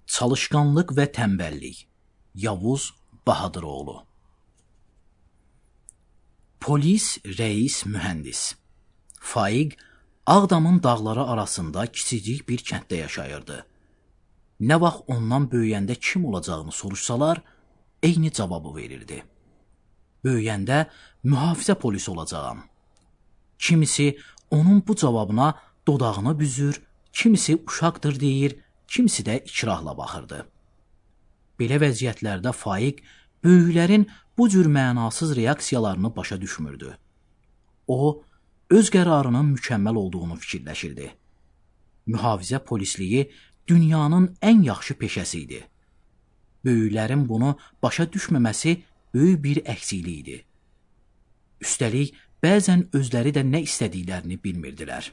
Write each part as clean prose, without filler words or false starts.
Çalışqanlıq və tənbəllik. Yavuz Bahadıroğlu. Polis, reis, mühəndis. Faiq Ağdamın dağları arasında kiçicik bir kənddə yaşayırdı. Nə vaxt ondan böyüyəndə kim olacağını soruşsalar, eyni cavabı verirdi. Böyüyəndə mühafizə polisi olacağam. Kimisi onun bu cavabına dodağını büzür, kimisi uşaqdır deyir, kimisi də ikrahla baxırdı. Belə vəziyyətlərdə Faiq böyüklərin bu cür mənasız reaksiyalarını başa düşmürdü. O, öz qərarının mükəmməl olduğunu fikirləşirdi. Mühafizə polisliyi dünyanın ən yaxşı peşəsi idi. Böyüklərin bunu başa düşməməsi böyük bir əksiklik idi. Üstəlik, bəzən özləri də nə istədiklərini bilmirdilər.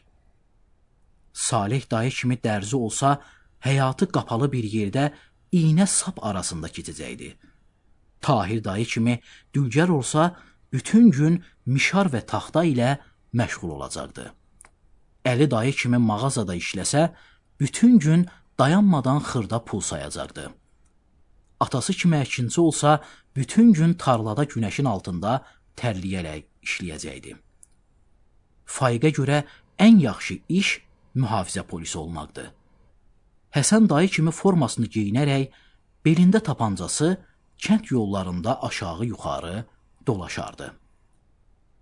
Salih dayı kimi dərzi olsa, həyatı qapalı bir yerdə iynə sap arasında keçəcəkdi. Tahir dayı kimi dülgər olsa, bütün gün mişar və taxta ilə məşğul olacaqdı. Əli dayı kimi mağazada işləsə, bütün gün dayanmadan xırda pul sayacaqdı. Atası kimi əkinçi olsa, bütün gün tarlada günəşin altında tərliyərək işləyəcəkdi. Faiqə görə ən yaxşı iş mühafizə polisi olmaqdı. Həsən dayı kimi formasını geyinərək, belində tapancası, kənd yollarında aşağı-yuxarı dolaşardı.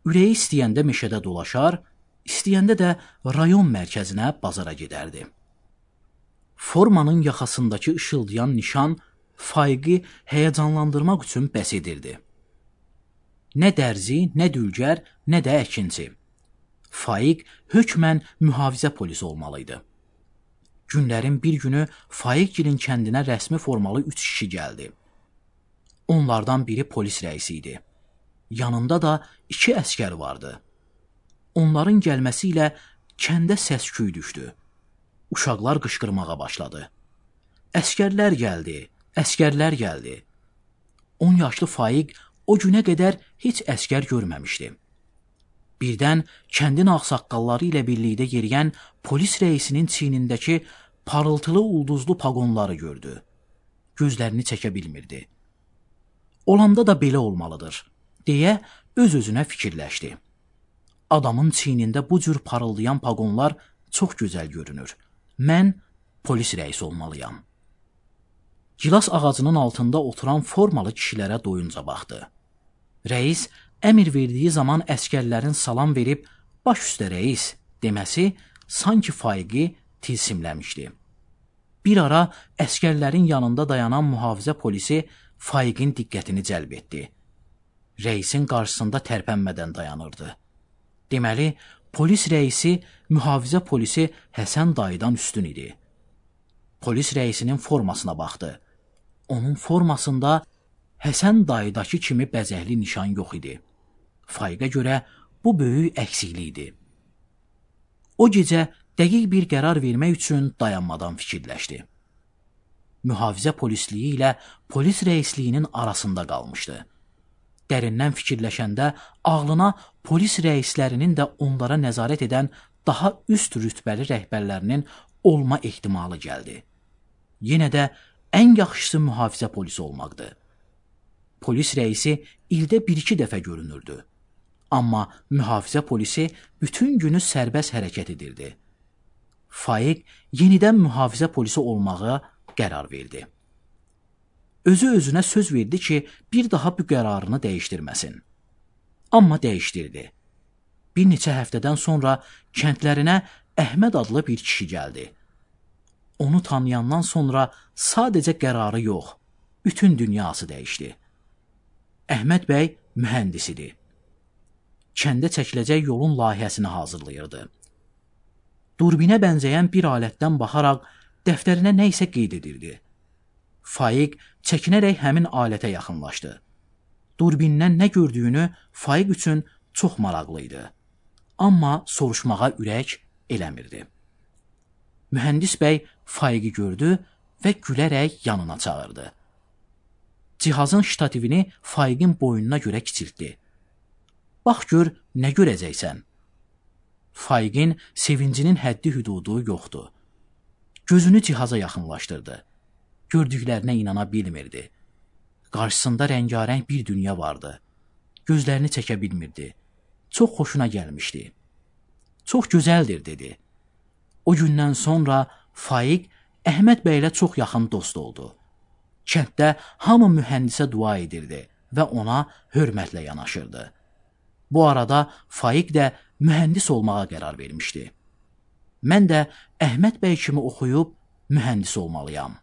Ürəyi istəyəndə meşədə dolaşar, istəyəndə də rayon mərkəzinə bazara gedərdi. Formanın yaxasındakı ışıldayan nişan Faiqi həyəcanlandırmaq üçün bəs edirdi. Nə dərzi, nə dülgər, nə də əkinçi. Faiq hökmən mühafizə polisi olmalıydı. Günlərin bir günü Faiqgilin kəndinə rəsmi formalı 3 kişi gəldi. Onlardan biri polis rəisi idi. Yanında da 2 əskər vardı. Onların gəlməsi ilə kəndə səs-küy düşdü. Uşaqlar qışqırmağa başladı. Əskərlər gəldi, əskərlər gəldi. 10 yaşlı Faiq o günə qədər heç əskər görməmişdi. Birdən kəndin ağsaqqalları ilə birlikdə yeriyən polis rəisinin çiynindəki parıltılı ulduzlu paqonları gördü. Gözlərini çəkə bilmirdi. Olanda da belə olmalıdır, deyə öz-özünə fikirləşdi. Adamın çiynində bu cür parıldayan paqonlar çox gözəl görünür. Mən polis rəisi olmalıyam. Gilas ağacının altında oturan formalı kişilərə doyunca baxdı. Rəis əmr verdiyi zaman əskərlərin salam verib, baş üstə rəis deməsi sanki Faiqi tilsimləmişdi. Bir ara əskərlərin yanında dayanan mühafizə polisi Faiqin diqqətini cəlb etdi. Rəisin qarşısında tərpənmədən dayanırdı. Deməli, polis rəisi mühafizə polisi Həsən dayıdan üstün idi. Polis rəisinin formasına baxdı. Onun formasında Həsən dayıdakı kimi bəzəkli nişan yox idi. Faiqə görə bu böyük əksiklik idi. O gecə dəqiq bir qərar vermək üçün dayanmadan fikirləşdi. Mühafizə polisliyi ilə polis rəisliyinin arasında qalmışdı. Dərindən fikirləşəndə ağlına polis rəislərinin də onlara nəzarət edən daha üst rütbəli rəhbərlərinin olma ehtimalı gəldi. Yenə də ən yaxşısı mühafizə polisi olmaqdı. Polis rəisi ildə 1-2 dəfə görünürdü. Amma mühafizə polisi bütün günü sərbəst hərəkət edirdi. Faiq yenidən mühafizə polisi olmağa qərar verdi. Özü-özünə söz verdi ki, bir daha bu qərarını dəyişdirməsin. Amma dəyişdirdi. Bir neçə həftədən sonra kəndlərinə Əhməd adlı bir kişi gəldi. Onu tanıyandan sonra sadəcə qərarı yox, bütün dünyası dəyişdi. Əhməd bəy mühəndis idi. Kəndə çəkiləcək yolun layihəsini hazırlayırdı. Durbinə bənzəyən bir alətdən baxaraq dəftərinə nə isə qeyd edirdi. Faiq çəkinərək həmin alətə yaxınlaşdı. Durbindən nə gördüyünü Faiq üçün çox maraqlı idi. Amma soruşmağa ürək eləmirdi. Mühəndis bəy Faiqi gördü və gülərək yanına çağırdı. Cihazın ştativini Faiqin boynuna görə kiçiltdi. Bax gör, nə görəcəksən? Faiqin sevincinin həddi hüdudu yoxdur. Gözünü cihaza yaxınlaşdırdı. gördüklərinə inana bilmirdi. Qarşısında rəngarəng bir dünya vardı. Gözlərini çəkə bilmirdi. Çox xoşuna gəlmişdi. Çox gözəldir, dedi. O gündən sonra Faiq Əhməd bəylə çox yaxın dost oldu. Kənddə hamı mühəndisə dua edirdi və ona hörmətlə yanaşırdı. Bu arada Faiq də mühəndis olmağa qərar vermişdi. Mən də Əhməd bəy kimi oxuyub mühəndis olmalıyam.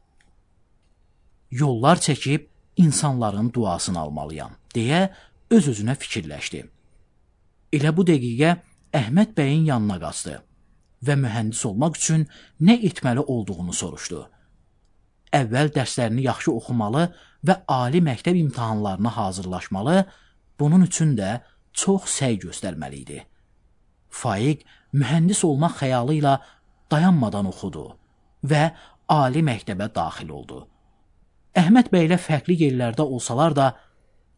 Yollar çəkib insanların duasını almalıyam, deyə öz-özünə fikirləşdi. Elə bu dəqiqə Əhməd bəyin yanına qaçdı və mühəndis olmaq üçün nə etməli olduğunu soruşdu. Əvvəl dərslərini yaxşı oxumalı və ali məktəb imtahanlarına hazırlaşmalı, bunun üçün də çox səy göstərməli idi. Faiq mühəndis olmaq xəyalı ilə dayanmadan oxudu və ali məktəbə daxil oldu. Əhməd bəylə fərqli yerlərdə olsalar da,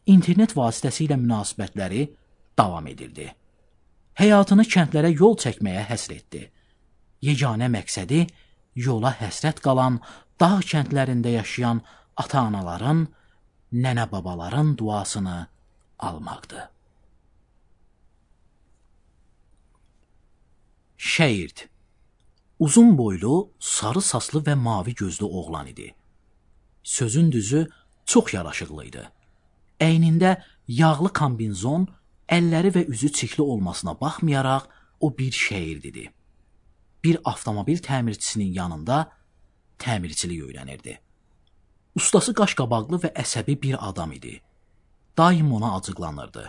internet vasitəsilə münasibətləri davam edirdi. Həyatını kəndlərə yol çəkməyə həsr etdi. Yeganə məqsədi yola həsrət qalan, dağ kəndlərində yaşayan ata-anaların, nənə-babaların duasını almaqdı. Şəyird. Uzun boylu, sarı saslı və mavi gözlü oğlan idi. Sözün düzü çox yaraşıqlı idi. Əynində yağlı kombinzon, əlləri və üzü çirkli olmasına baxmayaraq o bir şəyird idi. Bir avtomobil təmirçisinin yanında təmirçilik öyrənirdi. Ustası qaşqabaqlı və əsəbi bir adam idi. Daim ona acıqlanırdı.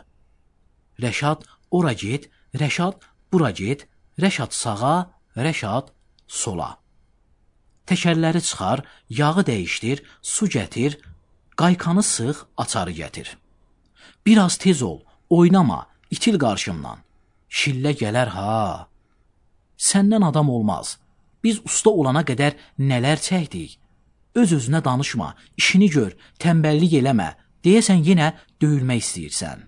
Rəşad ora get, Rəşad bura get, Rəşad sağa, Rəşad sola. Təkərləri çıxar, yağı dəyişdir, su gətir, qaykanı sıx, açarı gətir. Biraz tez ol, oynama, itil qarşımdan. Şillə gələr ha. Səndən adam olmaz. Biz usta olana qədər nələr çəkdik. Öz-özünə danışma, işini gör, tənbəllik eləmə, deyəsən yenə döyülmək istəyirsən.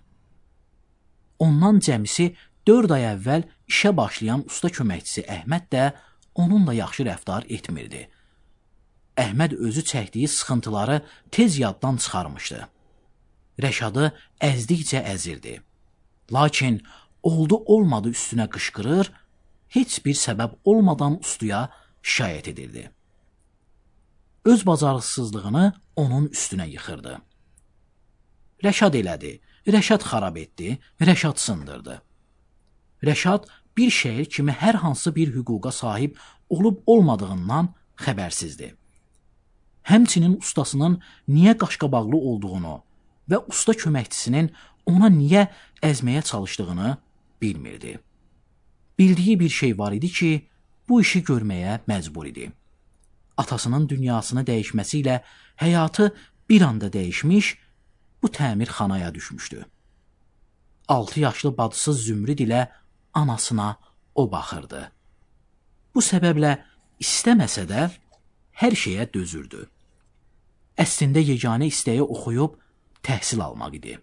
Ondan cəmisi 4 ay əvvəl işə başlayan usta köməkçisi Əhməd də onunla yaxşı rəftar etmirdi. Əhməd özü çəkdiyi sıxıntıları tez yaddan çıxarmışdı. Rəşadı əzdikcə əzirdi. Lakin oldu-olmadı üstünə qışqırır, heç bir səbəb olmadan ustaya şikayət edirdi. Öz bacarıqsızlığını onun üstünə yıxırdı. Rəşad elədi, Rəşad xarab etdi, Rəşad sındırdı. Rəşad bir şəhər kimi hər hansı bir hüquqa sahib olub-olmadığından xəbərsizdir. Həmçinin ustasının niyə qaşqabaqlı olduğunu və usta köməkçisinin ona niyə əzməyə çalışdığını bilmirdi. Bildiyi bir şey var idi ki, bu işi görməyə məcbur idi. Atasının dünyasını dəyişməsi ilə həyatı bir anda dəyişmiş, bu təmirxanaya düşmüşdü. 6 yaşlı bacısı Zümrüd ilə anasına o baxırdı. Bu səbəblə istəməsə də hər şeyə dözürdü. Əslində yeganə istəyi oxuyub təhsil almaq idi.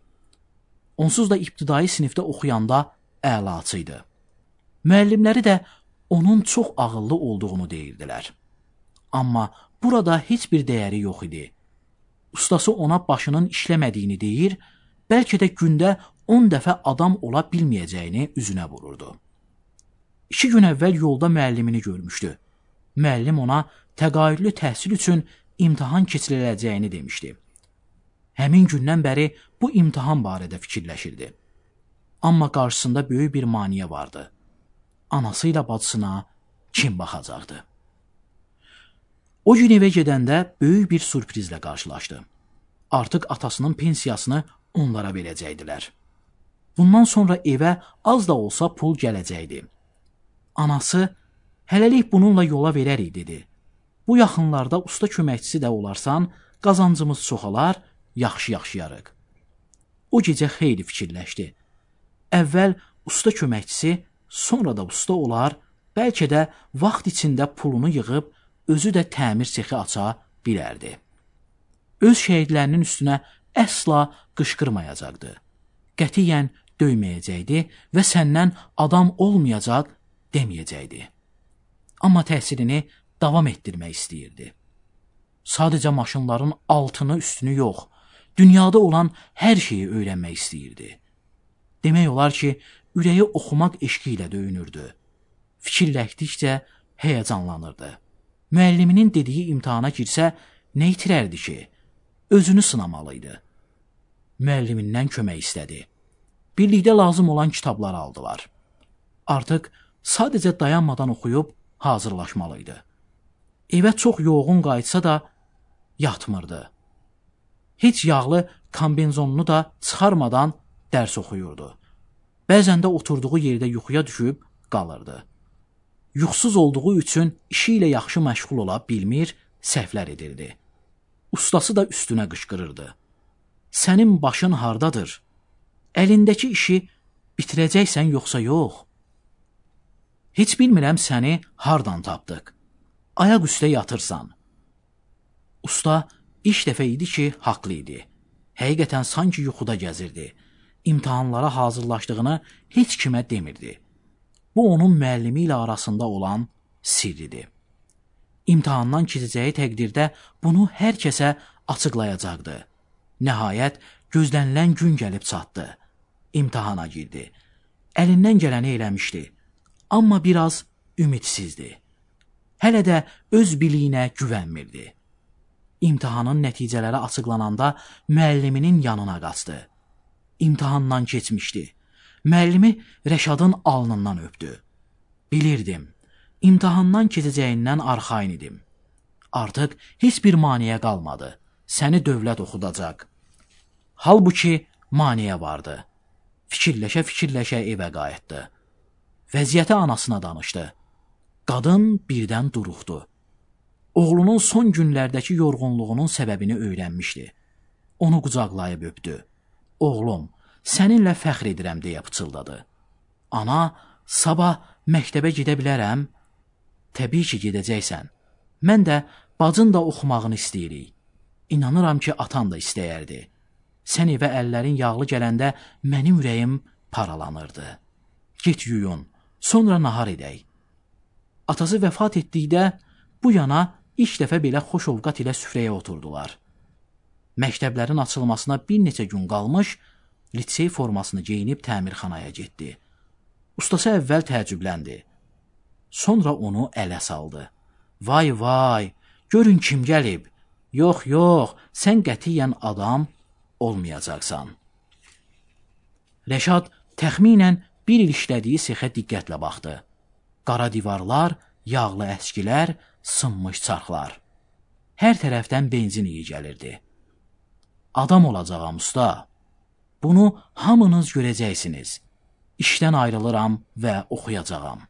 Onsuz da ibtidai sinifdə oxuyanda əlaçı idi. Müəllimləri də onun çox ağıllı olduğunu deyirdilər. Amma burada heç bir dəyəri yox idi. Ustası ona başının işləmədiyini deyir, bəlkə də gündə 10 dəfə adam ola bilməyəcəyini üzünə vururdu. 2 gün əvvəl yolda müəllimini görmüşdü. Müəllim ona təqaüdlü təhsil üçün imtahan keçiriləcəyini demişdi. Həmin gündən bəri bu imtahan barədə fikirləşirdi. Amma qarşısında böyük bir maneə vardı. Anası ilə bacısına kim baxacaqdı? O gün evə gedəndə böyük bir sürprizlə qarşılaşdı. Artıq atasının pensiyasını onlara verəcəkdilər. Bundan sonra evə az da olsa pul gələcəkdi. Anası, hələlik bununla yola verərik, dedi. Bu yaxınlarda usta köməkçisi də olarsan, qazancımız çoxalar, yaxşı yaşayarıq. O gecə xeyli fikirləşdi. Əvvəl usta köməkçisi, sonra da usta olar, bəlkə də vaxt içində pulunu yığıb, özü də təmir sexi aça bilərdi. Öz şəhidlərinin üstünə əsla qışqırmayacaqdı. Qətiyyən döyməyəcəkdi və səndən adam olmayacaq deməyəcəkdi. Amma təhsilini davam etdirmək istəyirdi. Sadəcə maşınların altını, üstünü yox, dünyada olan hər şeyi öyrənmək istəyirdi. Demək olar ki, ürəyi oxumaq eşqi ilə döyünürdü. Fikirləşdikcə həyəcanlanırdı. Müəlliminin dediyi imtahana girsə, nə itirərdi ki? Özünü sınamalıydı. Müəllimindən kömək istədi. Birlikdə lazım olan kitabları aldılar. Artıq sadəcə dayanmadan oxuyub hazırlaşmalıydı. Evə çox yoğun qayıtsa da yatmırdı. Heç yağlı kombinzonunu da çıxarmadan dərs oxuyurdu. Bəzən də oturduğu yerdə yuxuya düşüb qalırdı. Yuxusuz olduğu üçün işi ilə yaxşı məşğul ola bilmir, səhvlər edirdi. Ustası da üstünə qışqırırdı. Sənin başın hardadır? Əlindəki işi bitirəcəksən yoxsa yox? Heç bilmirəm səni hardan tapdıq. Ayaq üstə yatırsan. Usta ilk dəfə idi ki, haqlı idi. Həqiqətən sanki yuxuda gəzirdi. İmtahanlara hazırlaşdığını heç kimə demirdi. Bu, onun müəllimi ilə arasında olan sirridir. İmtahandan keçəcəyi təqdirdə bunu hər kəsə açıqlayacaqdı. Nəhayət, gözlənilən gün gəlib çatdı. İmtahana girdi. Əlindən gələni eləmişdi. Amma biraz ümidsizdi. Hələ də öz biliyinə güvənmirdi. İmtahanın nəticələri açıqlananda müəlliminin yanına qaçdı. İmtahandan keçmişdi. Müəllimi Rəşadın alnından öpdü. Bilirdim, imtahandan keçəcəyindən arxayın idim. Artıq heç bir maneə qalmadı. Səni dövlət oxudacaq. Halbuki maneə vardı. Fikirləşə-fikirləşə evə qayıtdı. Vəziyyəti anasına danışdı. Qadın birdən duruxdu. Oğlunun son günlərdəki yorğunluğunun səbəbini öyrənmişdi. Onu qucaqlayıb öpdü. Oğlum, səninlə fəxr edirəm deyə pıçıldadı. Ana, sabah məktəbə gedə bilərəm? Təbii ki, gedəcəksən. Mən də bacın da oxumağını istəyirik. İnanıram ki, atan da istəyərdi. Sən evə əllərin yağlı gələndə mənim ürəyim paralanırdı. Get yuyun, sonra nahar edək. Atası vəfat etdikdə bu yana ilk dəfə belə xoş ovqat ilə süfrəyə oturdular. Məktəblərin açılmasına bir neçə gün qalmış, lisey formasını geyinib təmirxanaya getdi. Ustası əvvəl təəccübləndi. Sonra onu ələ saldı. Vay vay, görün kim gəlib. Yox, yox, sən qətiyyən adam olmayacaqsan. Rəşad təxminən bir il işlədiyi sexə diqqətlə baxdı. Qara divarlar, yağlı əskilər, sınmış çarxlar. Hər tərəfdən benzin iyi gəlirdi. Adam olacağam usta. Bunu hamınız görəcəksiniz. İşdən ayrılıram və oxuyacağam.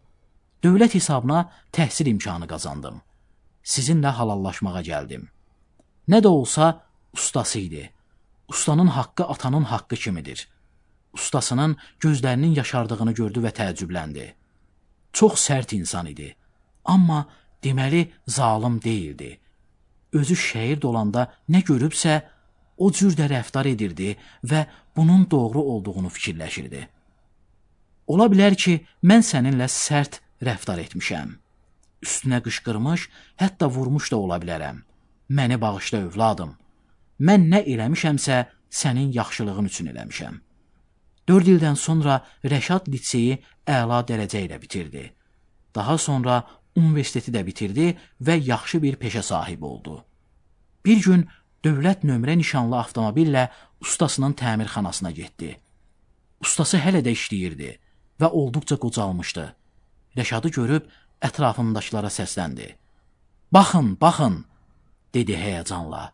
Dövlət hesabına təhsil imkanı qazandım. Sizinlə halallaşmağa gəldim. Nə də olsa ustası idi. Ustanın haqqı atanın haqqı kimidir. Ustasının gözlərinin yaşardığını gördü və təəccübləndi. Çox sərt insan idi. Amma deməli zalım deyildi. Özü şəhid olanda nə görübsə, o cür də rəftar edirdi və bunun doğru olduğunu fikirləşirdi. Ola bilər ki, mən səninlə sərt rəftar etmişəm. Üstünə qışqırmış, hətta vurmuş da ola bilərəm. Məni bağışla övladım. Mən nə eləmişəmsə, sənin yaxşılığın üçün eləmişəm. 4 ildən sonra Rəşad liseyi əla dərəcə ilə bitirdi. Daha sonra universiteti də bitirdi və yaxşı bir peşə sahibi oldu. Bir gün dövlət nömrə nişanlı avtomobillə ustasının təmirxanasına getdi. Ustası hələ də işləyirdi və olduqca qocalmışdı. Rəşadı görüb ətrafındakılara səsləndi. Baxın, baxın, dedi həyəcanla.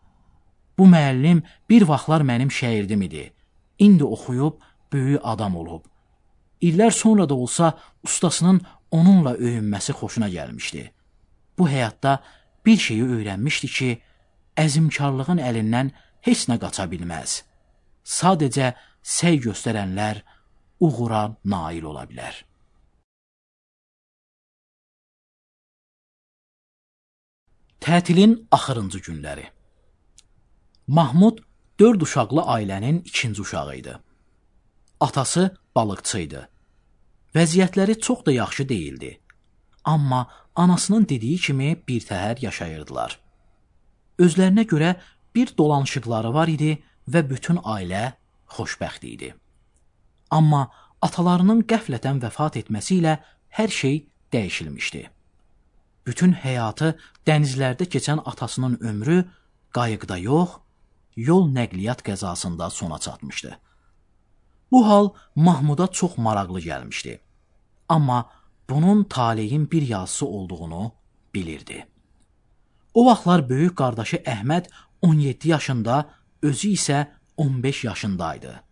Bu müəllim bir vaxtlar mənim şagirdim idi. İndi oxuyub böyük adam olub. İllər sonra da olsa ustasının onunla öyünməsi xoşuna gəlmişdi. Bu həyatda bir şeyi öyrənmişdi ki, əzimkarlığın əlindən heç nə qaça bilməz. Sadəcə səy göstərənlər uğura nail ola bilər. Tətilin axırıncı günləri. Mahmud 4 uşaqlı ailənin ikinci uşağı idi. Atası balıqçı idi. Vəziyyətləri çox da yaxşı deyildi. Amma anasının dediyi kimi birtəhər yaşayırdılar. özlərinə görə bir dolanışıqları var idi və bütün ailə xoşbəxt idi. Amma atalarının qəflətən vəfat etməsi ilə hər şey dəyişilmişdi. Bütün həyatı dənizlərdə keçən atasının ömrü qayıqda yox, yol nəqliyyat qəzasında sona çatmışdı. Bu hal Mahmuda çox maraqlı gəlmişdi. Amma bunun taleyin bir yazısı olduğunu bilirdi. O vaxtlar böyük qardaşı Əhməd 17 yaşında, özü isə 15 yaşındaydı.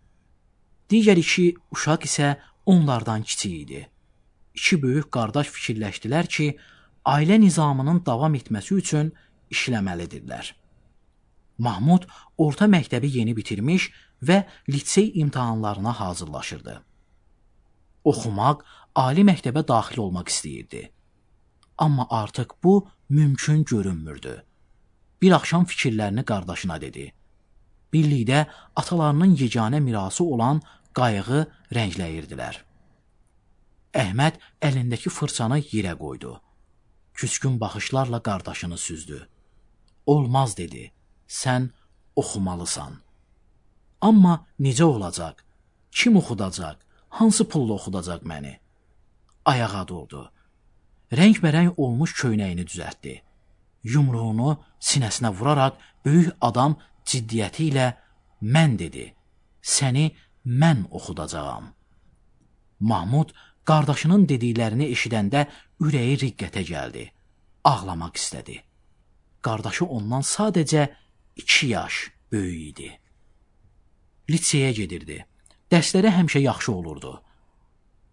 Digər iki uşaq isə onlardan kiçik idi. İki böyük qardaş fikirləşdilər ki, ailə nizamının davam etməsi üçün işləməlidirlər. Mahmud orta məktəbi yeni bitirmiş və lisey imtahanlarına hazırlaşırdı. Oxumaq, ali məktəbə daxil olmaq istəyirdi. Amma artıq bu mümkün görünmürdü. Bir axşam fikirlərini qardaşına dedi. Birlikdə atalarının yeganə mirası olan qayığı rəngləyirdilər. Əhməd əlindəki fırçanı yerə qoydu. Küskün baxışlarla qardaşını süzdü. Olmaz dedi, sən oxumalısan. Amma necə olacaq? Kim oxudacaq? Hansı pulla oxudacaq məni? Ayağa durdu. Rəngbərəng olmuş köynəyini düzəltdi. Yumruğunu sinəsinə vuraraq böyük adam ciddiyyəti ilə mən dedi, səni mən oxudacağam. Mahmud qardaşının dediklərini eşidəndə ürəyi riqqətə gəldi. Ağlamaq istədi. Qardaşı ondan sadəcə 2 yaş böyük idi. Liseyə gedirdi. Dərsləri həmişə yaxşı olurdu.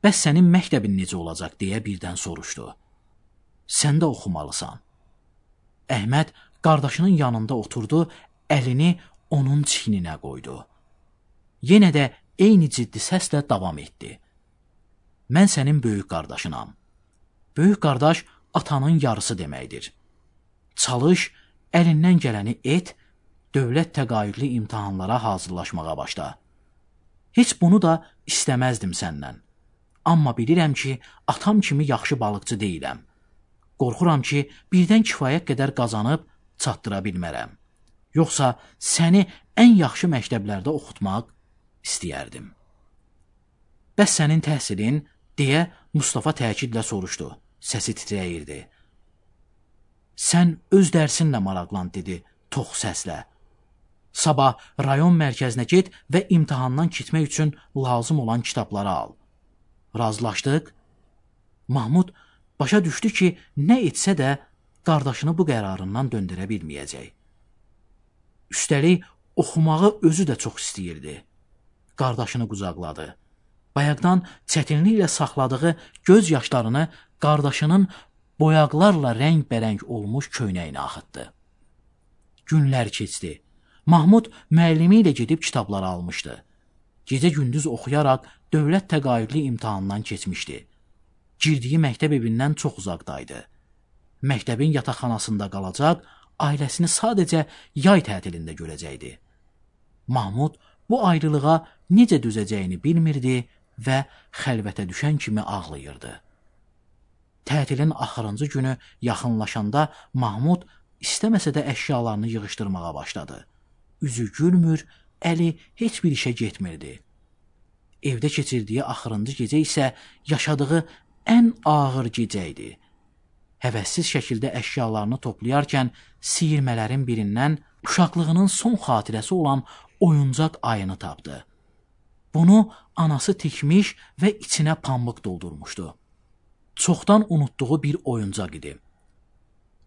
Bəs sənin məktəbin necə olacaq deyə birdən soruşdu. Sən də oxumalısan. Əhməd qardaşının yanında oturdu, əlini onun çiyninə qoydu. Yenə də eyni ciddi səslə davam etdi. Mən sənin böyük qardaşınam. Böyük qardaş atanın yarısı deməkdir. Çalış, əlindən gələni et, dövlət təqaüdlü imtahanlara hazırlaşmağa başla. Heç bunu da istəməzdim səndən. Amma bilirəm ki, atam kimi yaxşı balıqçı deyiləm. Qorxuram ki, birdən kifayət qədər qazanıb çatdıra bilmərəm. Yoxsa səni ən yaxşı məktəblərdə oxutmaq istəyərdim. Bəs sənin təhsilin, deyə Mustafa təkidlə soruşdu. Səsi titrəyirdi. Sən öz dərsinlə maraqlan, dedi tox səslə. Sabah rayon mərkəzinə get və imtahandan keçmək üçün lazım olan kitabları al. Razılaşdıq. Mahmud başa düşdü ki, nə etsə də qardaşını bu qərarından döndürə bilməyəcək. Üstəlik, oxumağı özü də çox istəyirdi. Qardaşını qucaqladı. Bayaqdan çətinliklə saxladığı göz yaşlarını qardaşının boyaqlarla rəngbərəng olmuş köynəyinə axıtdı. Günlər keçdi. Mahmud müəllimi ilə gedib kitabları almışdı. Gecə-gündüz oxuyaraq dövlət təqaüdlü imtahandan keçmişdi. Girdiyi məktəb evindən çox uzaqdaydı. Məktəbin yataqxanasında qalacaq, ailəsini sadəcə yay tətilində görəcəkdi. Mahmud bu ayrılığa necə dözəcəyini bilmirdi və xəlvətə düşən kimi ağlayırdı. Tətilin axırıncı günü yaxınlaşanda Mahmud istəməsə də əşyalarını yığışdırmağa başladı. Üzü gülmür, əli heç bir işə getmirdi. Evdə keçirdiyi axırıncı gecə isə yaşadığı ən ağır gecə idi. Həvəssiz şəkildə əşyalarını toplayarkən siyirmələrin birindən uşaqlığının son xatirəsi olan oyuncaq ayını tapdı. Bunu anası tikmiş və içinə pambıq doldurmuşdu. Çoxdan unutduğu bir oyuncaq idi.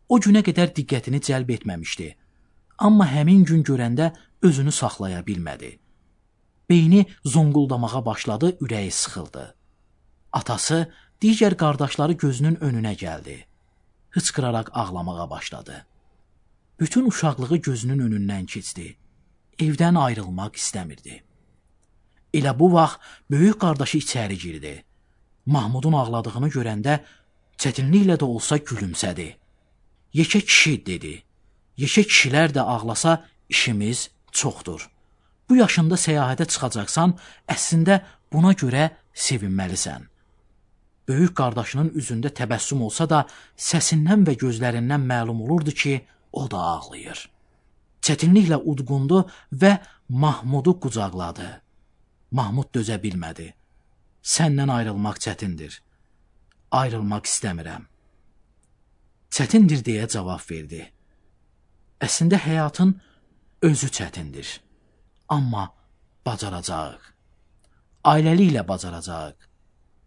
O günə qədər diqqətini cəlb etməmişdi. Amma həmin gün görəndə özünü saxlaya bilmədi. Beyni zonquldamağa başladı, ürəyi sıxıldı. Atası, digər qardaşları gözünün önünə gəldi. Hıçqıraraq ağlamağa başladı. Bütün uşaqlığı gözünün önündən keçdi. Evdən ayrılmaq istəmirdi. Elə bu vaxt böyük qardaşı içəri girdi. Mahmudun ağladığını görəndə çətinliklə də olsa gülümsədi. Yekə kişi, dedi. Yekə kişilər də ağlasa işimiz çoxdur. Bu yaşında səyahətə çıxacaqsan, əslində buna görə sevinməlisən. Böyük qardaşının üzündə təbəssüm olsa da, səsindən və gözlərindən məlum olurdu ki, o da ağlayır. çətinliklə udqundu və Mahmudu qucaqladı. Mahmud dözə bilmədi. Səndən ayrılmaq çətindir. Ayrılmaq istəmirəm. Çətindir deyə cavab verdi. Əslində həyatın özü çətindir. Amma bacaracağıq. Ailəliklə bacaracağıq.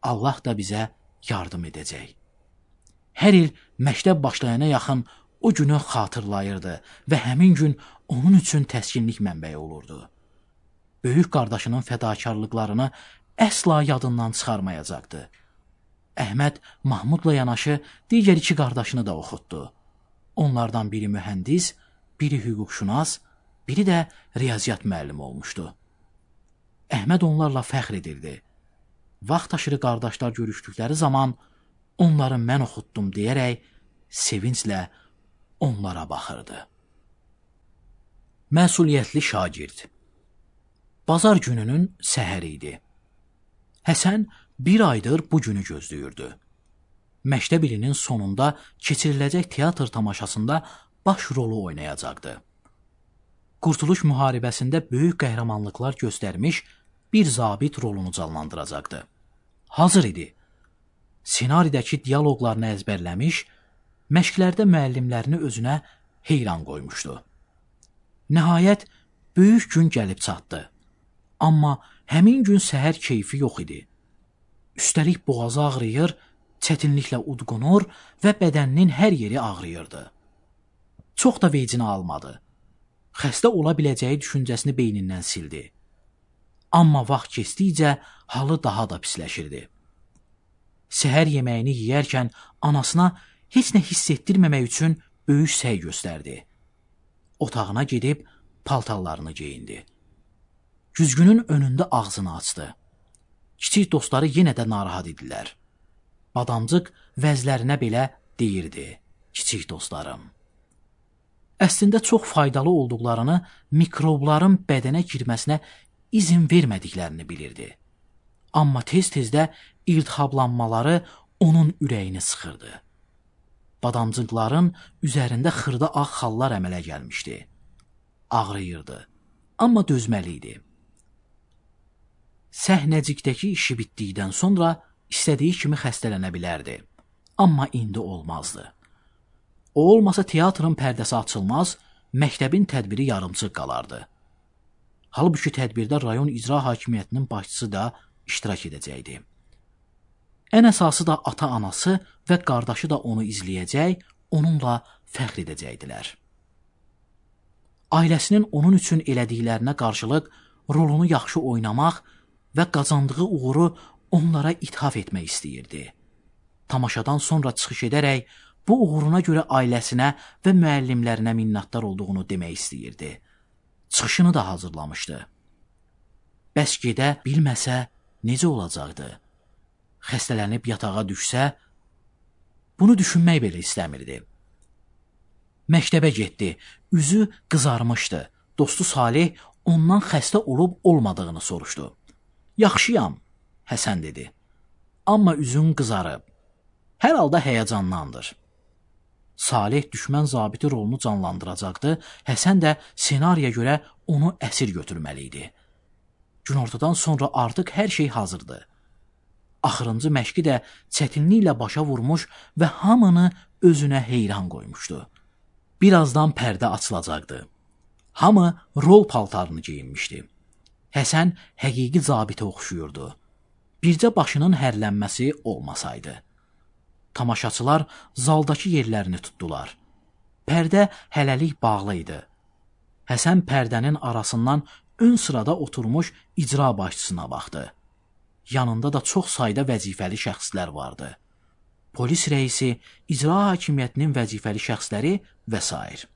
Allah da bizə yardım edəcək. Hər il məktəb başlayana yaxın o günü xatırlayırdı və həmin gün onun üçün təskinlik mənbəyi olurdu. Böyük qardaşının fədakarlıqlarını əsla yadından çıxarmayacaqdı. Əhməd Mahmudla yanaşı digər iki qardaşını da oxutdu. Onlardan biri mühəndis, biri hüquqşünas, biri də riyaziyyat müəllimi olmuşdu. Əhməd onlarla fəxr edirdi. Vaxt aşırı qardaşlar görüşdükləri zaman onları mən oxutdum deyərək sevinclə onlara baxırdı. Məsuliyyətli şagird. Bazar gününün səhəri idi. Həsən bir aydır bu günü gözləyirdi. Məktəb ilinin sonunda keçiriləcək teatr tamaşasında baş rolu oynayacaqdı. Qurtuluş müharibəsində böyük qəhrəmanlıqlar göstərmiş bir zabit rolunu canlandıracaqdı. Hazır idi. Senaridəki diyaloqlarını əzbərləmiş, məşqlərdə müəllimlərini özünə heyran qoymuşdu. Nəhayət, böyük gün gəlib çatdı. Amma həmin gün səhər keyfi yox idi. Üstəlik boğazı ağrıyır, çətinliklə udqunur və bədəninin hər yeri ağrıyırdı. Çox da vecinə almadı. Xəstə ola biləcəyi düşüncəsini beynindən sildi. Amma vaxt keçdikcə halı daha da pisləşirdi. Səhər yeməyini yeyərkən anasına heç nə hiss etdirməmək üçün böyük səy göstərdi. Otağına gedib paltarlarını geyindi. Güzgünün önündə ağzını açdı. Kiçik dostları yenə də narahat idilər. Badamcıq vəzlərinə belə deyirdi, kiçik dostlarım. Əslində çox faydalı olduqlarını, mikrobların bədənə girməsinə izin vermədiklərini bilirdi. Amma tez-tezdə iltihablanmaları onun ürəyini sıxırdı. Badamcıqların üzərində xırda ağ xallar əmələ gəlmişdi. Ağrıyırdı, amma dözməli idi. Səhnəcikdəki işi bitdikdən sonra istədiyi kimi xəstələnə bilərdi. Amma indi olmazdı. O olmasa teatrın pərdəsi açılmaz, məktəbin tədbiri yarımçıq qalardı. Halbuki tədbirdə rayon icra hakimiyyətinin başçısı da iştirak edəcəkdi. Ən əsası da ata-anası və qardaşı da onu izləyəcək, onunla fəxr edəcəkdilər. Ailəsinin onun üçün elədiklərinə qarşılıq rolunu yaxşı oynamaq və qazandığı uğuru onlara ithaf etmək istəyirdi. Tamaşadan sonra çıxış edərək bu uğuruna görə ailəsinə və müəllimlərinə minnətdar olduğunu demək istəyirdi. Çıxışını da hazırlamışdı. Bəs gedə bilməsə necə olacaqdı? Xəstələnib yatağa düşsə, bunu düşünmək belə istəmirdi. Məktəbə getdi, üzü qızarmışdı. Dostu Salih ondan xəstə olub-olmadığını soruşdu. Yaxşıyam, Həsən dedi. Amma üzün qızarıb. Hər halda həyəcanlandır. Salih düşmən zabiti rolunu canlandıracaqdı, Həsən də senariyə görə onu əsir götürməli idi. Günortadan sonra artıq hər şey hazırdı. Axırıncı məşqi də çətinliklə başa vurmuş və hamını özünə heyran qoymuşdu. Birazdan pərdə açılacaqdı. Hamı rol paltarını geyinmişdi. Həsən həqiqi zabitə oxşuyurdu. Bircə başının hərlənməsi olmasaydı. Tamaşaçılar zaldakı yerlərini tutdular. Pərdə hələlik bağlı idi. Həsən pərdənin arasından ön sırada oturmuş icra başçısına baxdı. Yanında da çox sayda vəzifəli şəxslər vardı. Polis rəisi, icra hakimiyyətinin vəzifəli şəxsləri və s.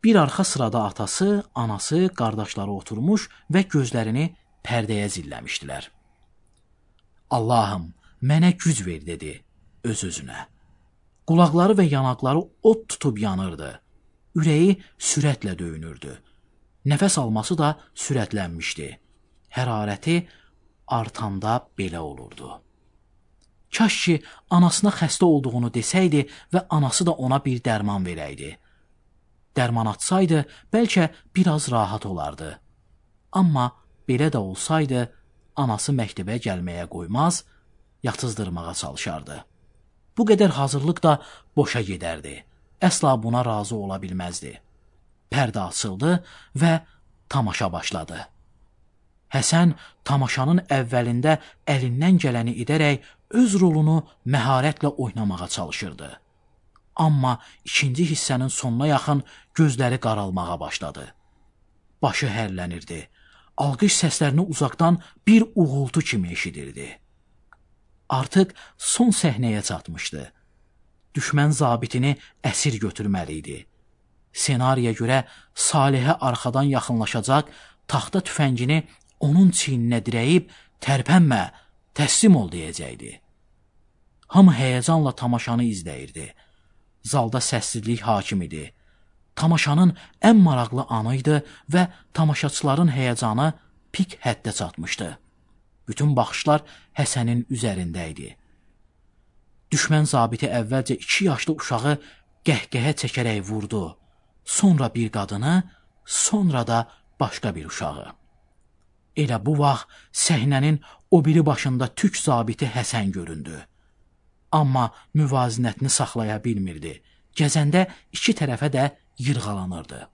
Bir arxa sırada atası, anası, qardaşları oturmuş və gözlərini pərdəyə zilləmişdilər. Allahım, mənə güc ver, dedi öz-özünə. Qulaqları və yanaqları od tutub yanırdı. Ürəyi sürətlə döyünürdü. Nəfəs alması da sürətlənmişdi. Hərarəti artanda belə olurdu. Kaş ki, anasına xəstə olduğunu desəydi və anası da ona bir dərman verəydi. dərman atsaydı, bəlkə biraz rahat olardı. Amma belə də olsaydı, anası məktəbə gəlməyə qoymaz, yatızdırmağa çalışardı. Bu qədər hazırlıq da boşa gedərdi. Əsla buna razı ola bilməzdi. Pərdə açıldı və tamaşa başladı. Həsən tamaşanın əvvəlində əlindən gələni edərək öz rolunu məharətlə oynamağa çalışırdı. Amma ikinci hissənin sonuna yaxın gözləri qaralmağa başladı. Başı hərlənirdi. Alqış səslərini uzaqdan bir uğultu kimi eşidirdi. Artıq son səhnəyə çatmışdı. Düşmən zabitini əsir götürməli idi. Senariyə görə Salihə arxadan yaxınlaşacaq, taxta tüfəngini onun çiyninə dirəyib, tərpənmə, təslim ol deyəcəkdi. Hamı həyəcanla tamaşanı izləyirdi. Zalda səssizlik hakim idi. Tamaşanın ən maraqlı anı idi və tamaşaçıların həyəcanı pik həddə çatmışdı. Bütün baxışlar Həsənin üzərində idi. Düşmən zabiti əvvəlcə 2 yaşlı uşağı qəhqəhə çəkərək vurdu. Sonra bir qadını, sonra da başqa bir uşağı. Elə bu vaxt səhnənin o biri başında türk zabiti Həsən göründü. Amma müvazinətini saxlaya bilmirdi. Gəzəndə 2 tərəfə də yırğalanırdı.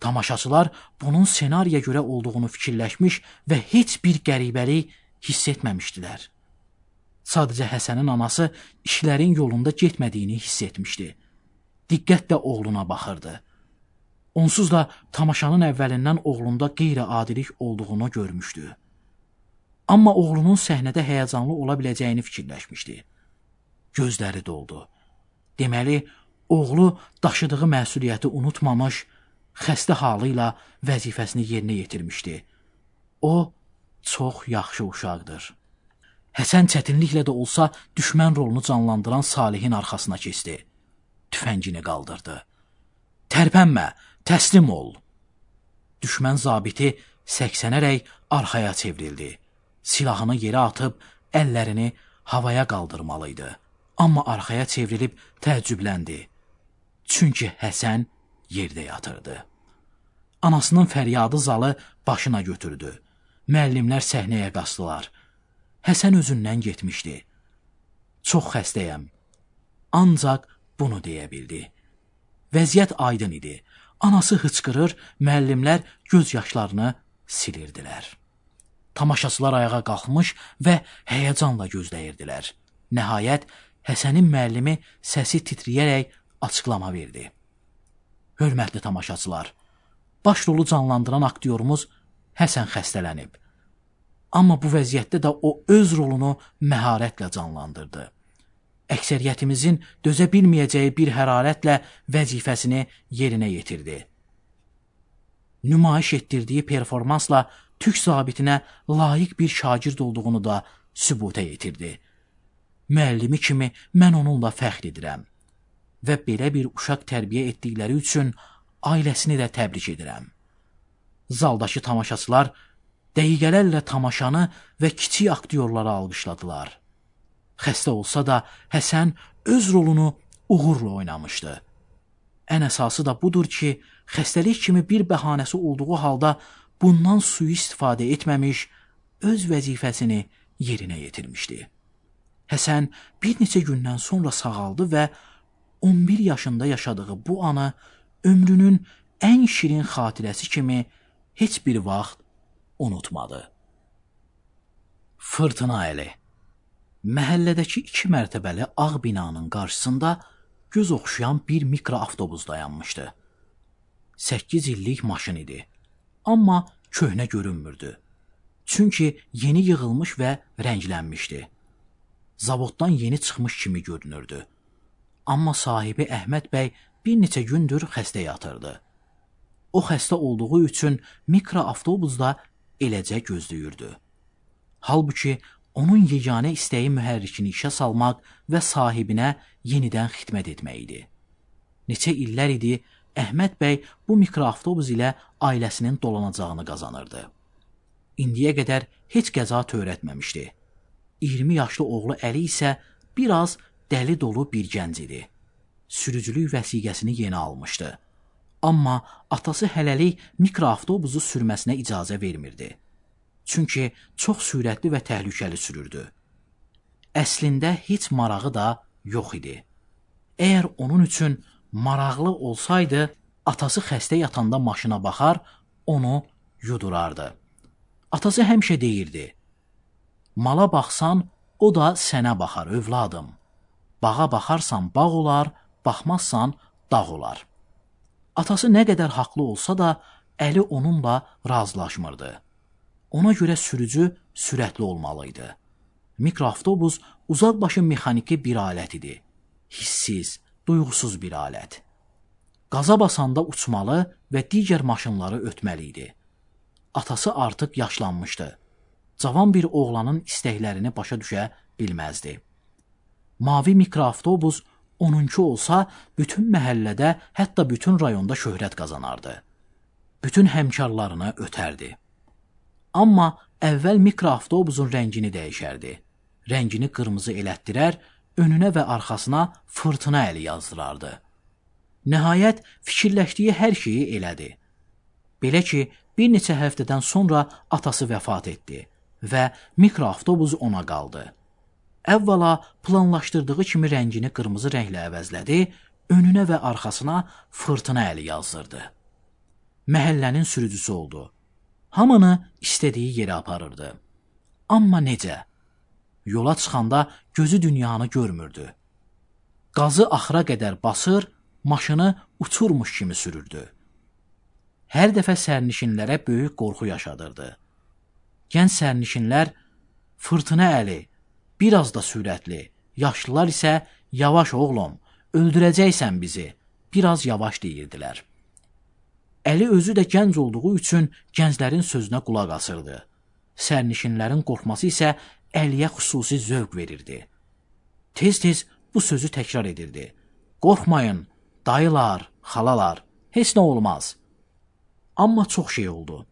Tamaşaçılar bunun senariyə görə olduğunu fikirləşmiş və heç bir qəribəlik hiss etməmişdilər. Sadəcə Həsənin anası işlərin yolunda getmədiyini hiss etmişdi. Diqqətlə oğluna baxırdı. Onsuz da tamaşanın əvvəlindən oğlunda qeyri-adilik olduğunu görmüşdü. Amma oğlunun səhnədə həyəcanlı ola biləcəyini fikirləşmişdi. Gözləri doldu. Deməli, oğlu daşıdığı məsuliyyəti unutmamış, xəstə halı ilə vəzifəsini yerinə yetirmişdi. O, çox yaxşı uşaqdır. Həsən çətinliklə də olsa düşmən rolunu canlandıran Salihin arxasına keçdi. Tüfəngini qaldırdı. Tərpənmə, təslim ol. Düşmən zabiti səksənərək arxaya çevrildi. Silahını yerə atıb əllərini havaya qaldırmalıydı. Amma arxaya çevrilib təəccübləndi. Çünki Həsən yerdə yatırdı. Anasının fəryadı zalı başına götürdü. Müəllimlər səhnəyə qasdılar. Həsən özündən getmişdi. Çox xəstəyəm. Ancaq bunu deyə bildi. Vəziyyət aydın idi. Anası hıçqırır, müəllimlər göz yaşlarını silirdilər. Tamaşaçılar ayağa qalxmış və həyəcanla gözləyirdilər. Nəhayət, Həsənin müəllimi səsi titrəyərək açıqlama verdi. Hörmətli tamaşaçılar, baş rolu canlandıran aktyorumuz Həsən xəstələnib. Amma bu vəziyyətdə də o öz rolunu məharətlə canlandırdı. Əksəriyyətimizin dözə bilməyəcəyi bir hərarətlə vəzifəsini yerinə yetirdi. Nümayiş etdirdiyi performansla türk zabitinə layiq bir şagird olduğunu da sübuta yetirdi. Müəllimi kimi mən onunla fəxr edirəm və belə bir uşaq tərbiyə etdikləri üçün ailəsini də təbrik edirəm. Zaldakı tamaşaçılar dəqiqələrlə tamaşanı və kiçik aktyorları alqışladılar. Xəstə olsa da Həsən öz rolunu uğurla oynamışdı. Ən əsası da budur ki, xəstəlik kimi bir bəhanəsi olduğu halda bundan sui-istifadə etməmiş, öz vəzifəsini yerinə yetirmişdi. Həsən bir neçə gündən sonra sağaldı və 11 yaşında yaşadığı bu anı ömrünün ən şirin xatirəsi kimi heç bir vaxt unutmadı. Fırtına əli. Məhəllədəki 2 mərtəbəli ağ binanın qarşısında göz oxşayan bir mikroavtobus dayanmışdı. 8 illik maşın idi. Amma köhnə görünmürdü. Çünki yeni yığılmış və rənglənmişdi. Zavoddan yeni çıxmış kimi görünürdü. Amma sahibi Əhməd bəy bir neçə gündür xəstə yatırdı. O xəstə olduğu üçün mikroavtobusda eləcə gözləyirdi. Halbuki onun yeganə istəyi mühərrikini işə salmaq və sahibinə yenidən xidmət etmək idi. Neçə illər idi Əhməd bəy bu mikroavtobus ilə ailəsinin dolanacağını qazanırdı. İndiyə qədər heç qəza törətməmişdi. 20 yaşlı oğlu Əli isə biraz dəli dolu bir gənc idi. Sürücülük vəsiqəsini yeni almışdı. Amma atası hələlik mikroavtobusu sürməsinə icazə vermirdi. Çünki çox sürətli və təhlükəli sürürdü. Əslində heç marağı da yox idi. Əgər onun üçün maraqlı olsaydı, atası xəstə yatanda maşına baxar, onu yudurardı. Atası həmişə deyirdi, mala baxsan, o da sənə baxar, övladım. Bağa baxarsan bağ olar, baxmazsan dağ olar. Atası nə qədər haqlı olsa da, Əli onunla razılaşmırdı. Ona görə sürücü sürətli olmalıydı. Mikroavtobus uzaqbaşı mexaniki bir alət idi. Hissiz, duyğusuz bir alət. Qaza basanda uçmalı və digər maşınları ötməli idi. Atası artıq yaşlanmışdı. Cavan bir oğlanın istəklərini başa düşə bilməzdi. Mavi mikroavtobus onunki olsa, bütün məhəllədə, hətta bütün rayonda şöhrət qazanardı. Bütün həmkarlarını ötərdi. Amma əvvəl mikroavtobusun rəngini dəyişərdi. Rəngini qırmızı elətdirər, önünə və arxasına fırtına əli yazdırardı. Nəhayət, fikirləşdiyi hər şeyi elədi. Belə ki, bir neçə həftədən sonra atası vəfat etdi və mikroavtobus ona qaldı. Əvvəla planlaşdırdığı kimi rəngini qırmızı rənglə əvəzlədi, önünə və arxasına fırtına əli yazdırdı. Məhəllənin sürücüsü oldu. Hamını istədiyi yerə aparırdı. Amma necə? Yola çıxanda gözü dünyanı görmürdü. Qazı axıra qədər basır, maşını uçurmuş kimi sürürdü. Hər dəfə sərnişinlərə böyük qorxu yaşadırdı. Gənc sərnişinlər, fırtına əli, biraz da sürətli, yaşlılar isə, yavaş oğlum, öldürəcəksən bizi, biraz yavaş deyirdilər. Əli özü də gənc olduğu üçün gənclərin sözünə qulaq asırdı. Sərnişinlərin qorxması isə Əliyə xüsusi zövq verirdi. Tez-tez bu sözü təkrar edirdi. Qorxmayın, dayılar, xalalar, heç nə olmaz. Amma çox şey oldu.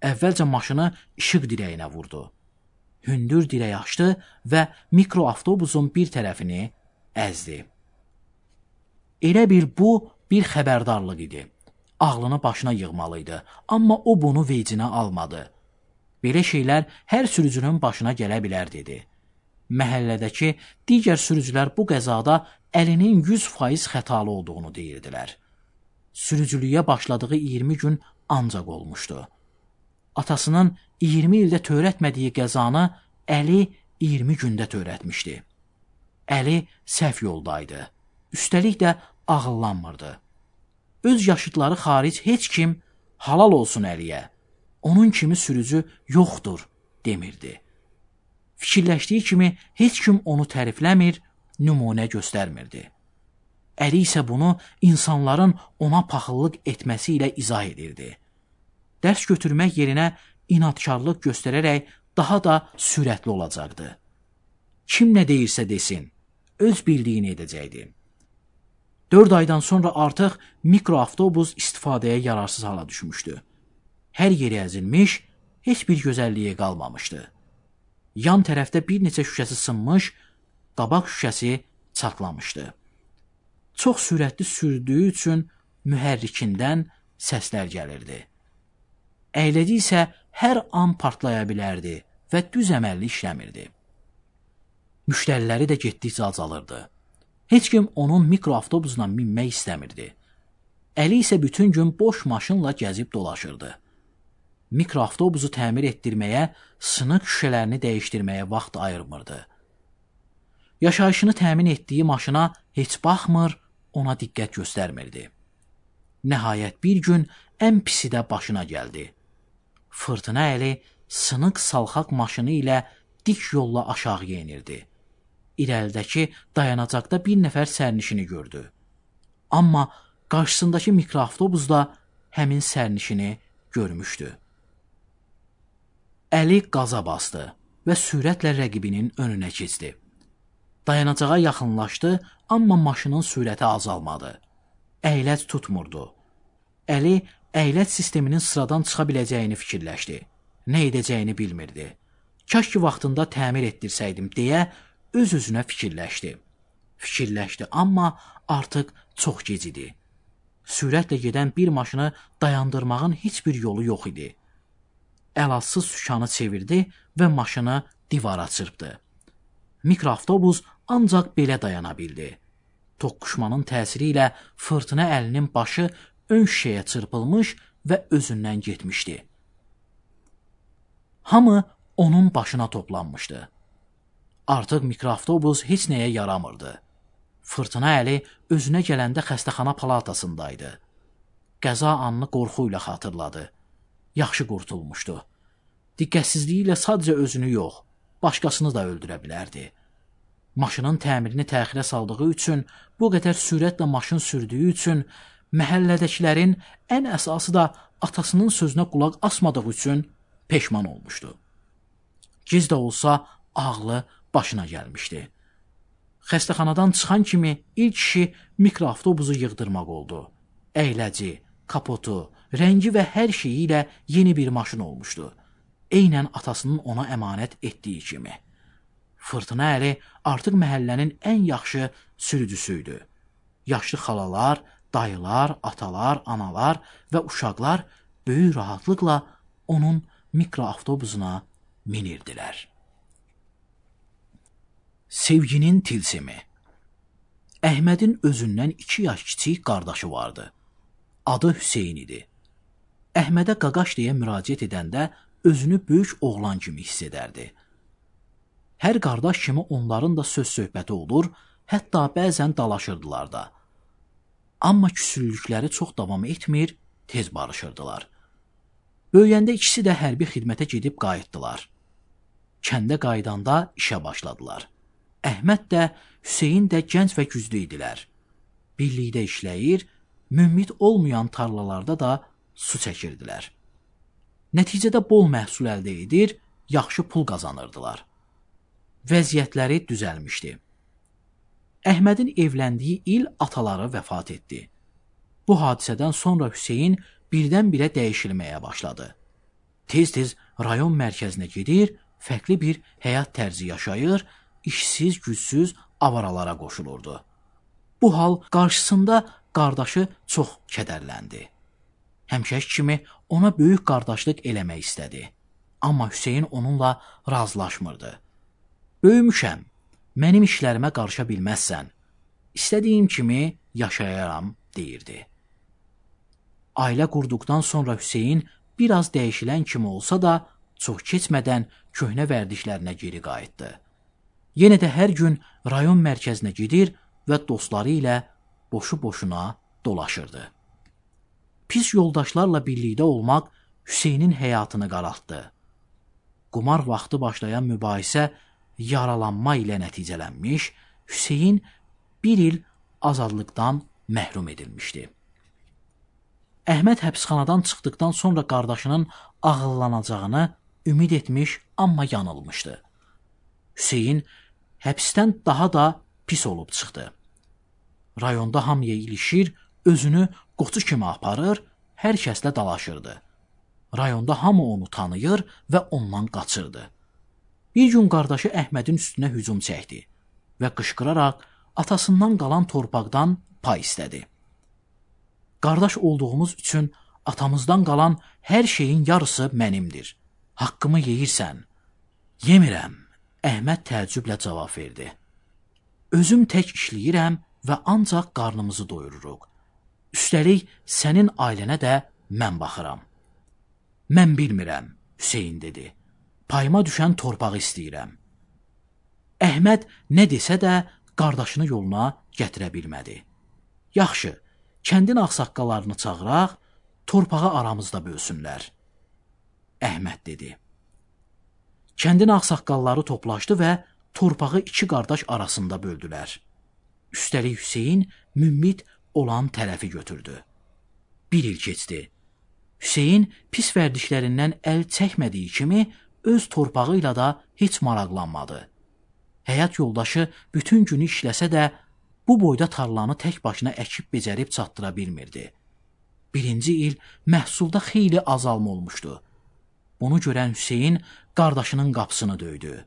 Əvvəlcə maşını işıq dirəyinə vurdu. Hündür dirək açdı və mikroavtobusun bir tərəfini əzdi. Elə bil bu bir xəbərdarlıq idi. Ağlını başına yığmalıydı, amma o bunu vecinə almadı. Belə şeylər hər sürücünün başına gələ bilər, dedi. Məhəllədəki digər sürücülər bu qəzada Əlinin 100% xətalı olduğunu deyirdilər. Sürücülüyə başladığı 20 gün ancaq olmuşdu. Atasının 20 ildə törətmədiyi qəzanı Əli 20 gündə törətmişdi. Əli səhv yoldaydı. Üstəlik də ağıllanmırdı. Öz yaşıdları xaric heç kim halal olsun Əliyə, onun kimi sürücü yoxdur demirdi. Fikirləşdiyi kimi heç kim onu tərifləmir, nümunə göstərmirdi. Əli isə bunu insanların ona paxıllıq etməsi ilə izah edirdi. Dərs götürmək yerinə inadkarlıq göstərərək daha da sürətli olacaqdı. Kim nə deyirsə desin, öz bildiyini edəcəkdi. 4 aydan sonra artıq mikroavtobus istifadəyə yararsız hala düşmüşdü. Hər yeri əzilmiş, heç bir gözəlliyi qalmamışdı. Yan tərəfdə bir neçə şüşəsi sınmış, qabaq şüşəsi çatlamışdı. Çox sürətli sürdüyü üçün mühərrikindən səslər gəlirdi. Əyləci isə hər an partlaya bilərdi və düz əməlli işləmirdi. Müştəriləri də getdikcə azalırdı. Heç kim onun mikroavtobusuna minmək istəmirdi. Əli isə bütün gün boş maşınla gəzib dolaşırdı. Mikroavtobusu təmir etdirməyə, sınıq şüşələrini dəyişdirməyə vaxt ayırmırdı. Yaşayışını təmin etdiyi maşına heç baxmır, ona diqqət göstərmirdi. Nəhayət bir gün ən pisi də başına gəldi. Fırtına Əli sınıq salxaq maşını ilə dik yolla aşağı yenirdi. İrəlidəki dayanacaqda bir nəfər sərnişini gördü. Amma qarşısındakı mikroavtobus da həmin sərnişini görmüşdü. Əli qaza bastı və sürətlə rəqibinin önünə keçdi. Dayanacağa yaxınlaşdı, amma maşının sürəti azalmadı. Əyləc tutmurdu. Əli əyləc sisteminin sıradan çıxa biləcəyini fikirləşdi. Nə edəcəyini bilmirdi. Kaş ki vaxtında təmir etdirsəydim deyə öz-özünə fikirləşdi. Fikirləşdi, amma artıq çox gec idi. Sürətlə gedən bir maşını dayandırmağın heç bir yolu yox idi. Əlacsız sükanı çevirdi və maşını divara çırpdı. Mikroavtobus ancaq belə dayana bildi. Toqquşmanın təsiri ilə fırtına əlinin başı ön şişəyə çırpılmış və özündən getmişdi. Hamı onun başına toplanmışdı. Artıq mikroavtobus heç nəyə yaramırdı. Fırtına əli özünə gələndə xəstəxana palatasındaydı. Qəza anını qorxu ilə xatırladı. Yaxşı qurtulmuşdu. Diqqətsizliyi ilə sadəcə özünü yox, başqasını da öldürə bilərdi. Maşının təmirini təxirə saldığı üçün, bu qədər sürətlə maşın sürdüyü üçün, məhəllədəkilərin ən əsası da atasının sözünə qulaq asmadığı üçün peşman olmuşdu. Giz də olsa ağlı başına gəlmişdi. Xəstəxanadan çıxan kimi ilk işi mikroavtobusu yığdırmaq oldu. Əyləci, kapotu, rəngi və hər şeyi ilə yeni bir maşın olmuşdu. Eynən atasının ona əmanət etdiyi kimi. Fırtına əli artıq məhəllənin ən yaxşı sürücüsüydü. Yaşlı xalalar, dayılar, atalar, analar və uşaqlar böyük rahatlıqla onun mikroavtobusuna minirdilər. Sevginin tilsimi. Əhmədin özündən 2 yaş kiçik qardaşı vardı. Adı Hüseyin idi. Əhmədə qaqaş deyə müraciət edəndə özünü böyük oğlan kimi hiss edərdi. Hər qardaş kimi onların da söz-söhbəti olur, hətta bəzən dalaşırdılar da. Amma küsüllükləri çox davam etmir, tez barışırdılar. Böyüyəndə ikisi də hərbi xidmətə gedib qayıtdılar. Kəndə qaydanda işə başladılar. Əhməd də, Hüseyin də gənc və güclü idilər. Birlikdə işləyir, mümmit olmayan tarlalarda da su çəkirdilər. Nəticədə bol məhsul əldə edir, yaxşı pul qazanırdılar. Vəziyyətləri düzəlmişdi. Əhmədin evləndiyi il ataları vəfat etdi. Bu hadisədən sonra Hüseyin birdən-birə dəyişilməyə başladı. Tez-tez rayon mərkəzinə gedir, fərqli bir həyat tərzi yaşayır, işsiz, gücsüz avaralara qoşulurdu. Bu hal qarşısında qardaşı çox kədərləndi. Həmişəki kimi ona böyük qardaşlıq eləmək istədi. Amma Hüseyin onunla razılaşmırdı. Böyümüşəm, mənim işlərimə qarışa bilməzsən, istədiyim kimi yaşayaram, deyirdi. Ailə qurduqdan sonra Hüseyin biraz dəyişilən kimi olsa da, çox keçmədən köhnə vərdişlərinə geri qayıtdı. Yenə də hər gün rayon mərkəzinə gedir və dostları ilə boşu-boşuna dolaşırdı. Pis yoldaşlarla birlikdə olmaq Hüseynin həyatını qaraltdı. Qumar vaxtı başlayan mübahisə yaralanma ilə nəticələnmiş, Hüseyin 1 il azadlıqdan məhrum edilmişdi. Əhməd həbsxanadan çıxdıqdan sonra qardaşının ağıllanacağını ümid etmiş, amma yanılmışdı. Hüseyin həbsdən daha da pis olub çıxdı. Rayonda hamıya ilişir, özünü qoçu kimi aparır, hər kəslə dalaşırdı. Rayonda hamı onu tanıyır və ondan qaçırdı. Bir gün qardaşı Əhmədin üstünə hücum çəkdi və qışqıraraq atasından qalan torpaqdan pay istədi. Qardaş olduğumuz üçün atamızdan qalan hər şeyin yarısı mənimdir. Haqqımı yeyirsən. Yemirəm, Əhməd təəccüblə cavab verdi. Özüm tək işləyirəm və ancaq qarnımızı doyururuq. Üstəlik sənin ailənə də mən baxıram. Mən bilmirəm, Hüseyin dedi. Payıma düşən torpağı istəyirəm. Əhməd nə desə də qardaşını yoluna gətirə bilmədi. Yaxşı, kəndin ağsaqqallarını çağıraq, torpağı aramızda bölsünlər. Əhməd dedi. Kəndin ağsaqqalları toplaşdı və torpağı 2 qardaş arasında böldülər. Üstəlik Hüseyin mümmit olan tərəfi götürdü. 1 il keçdi. Hüseyin pis vərdişlərindən əl çəkmədiyi kimi öz torpağı ilə da heç maraqlanmadı. Həyat yoldaşı bütün günü işləsə də bu boyda tarlanı tək başına əkib becərib çatdıra bilmirdi. 1-ci il məhsulda xeyli azalma olmuşdu. Bunu görən Hüseyin qardaşının qapısını döydü.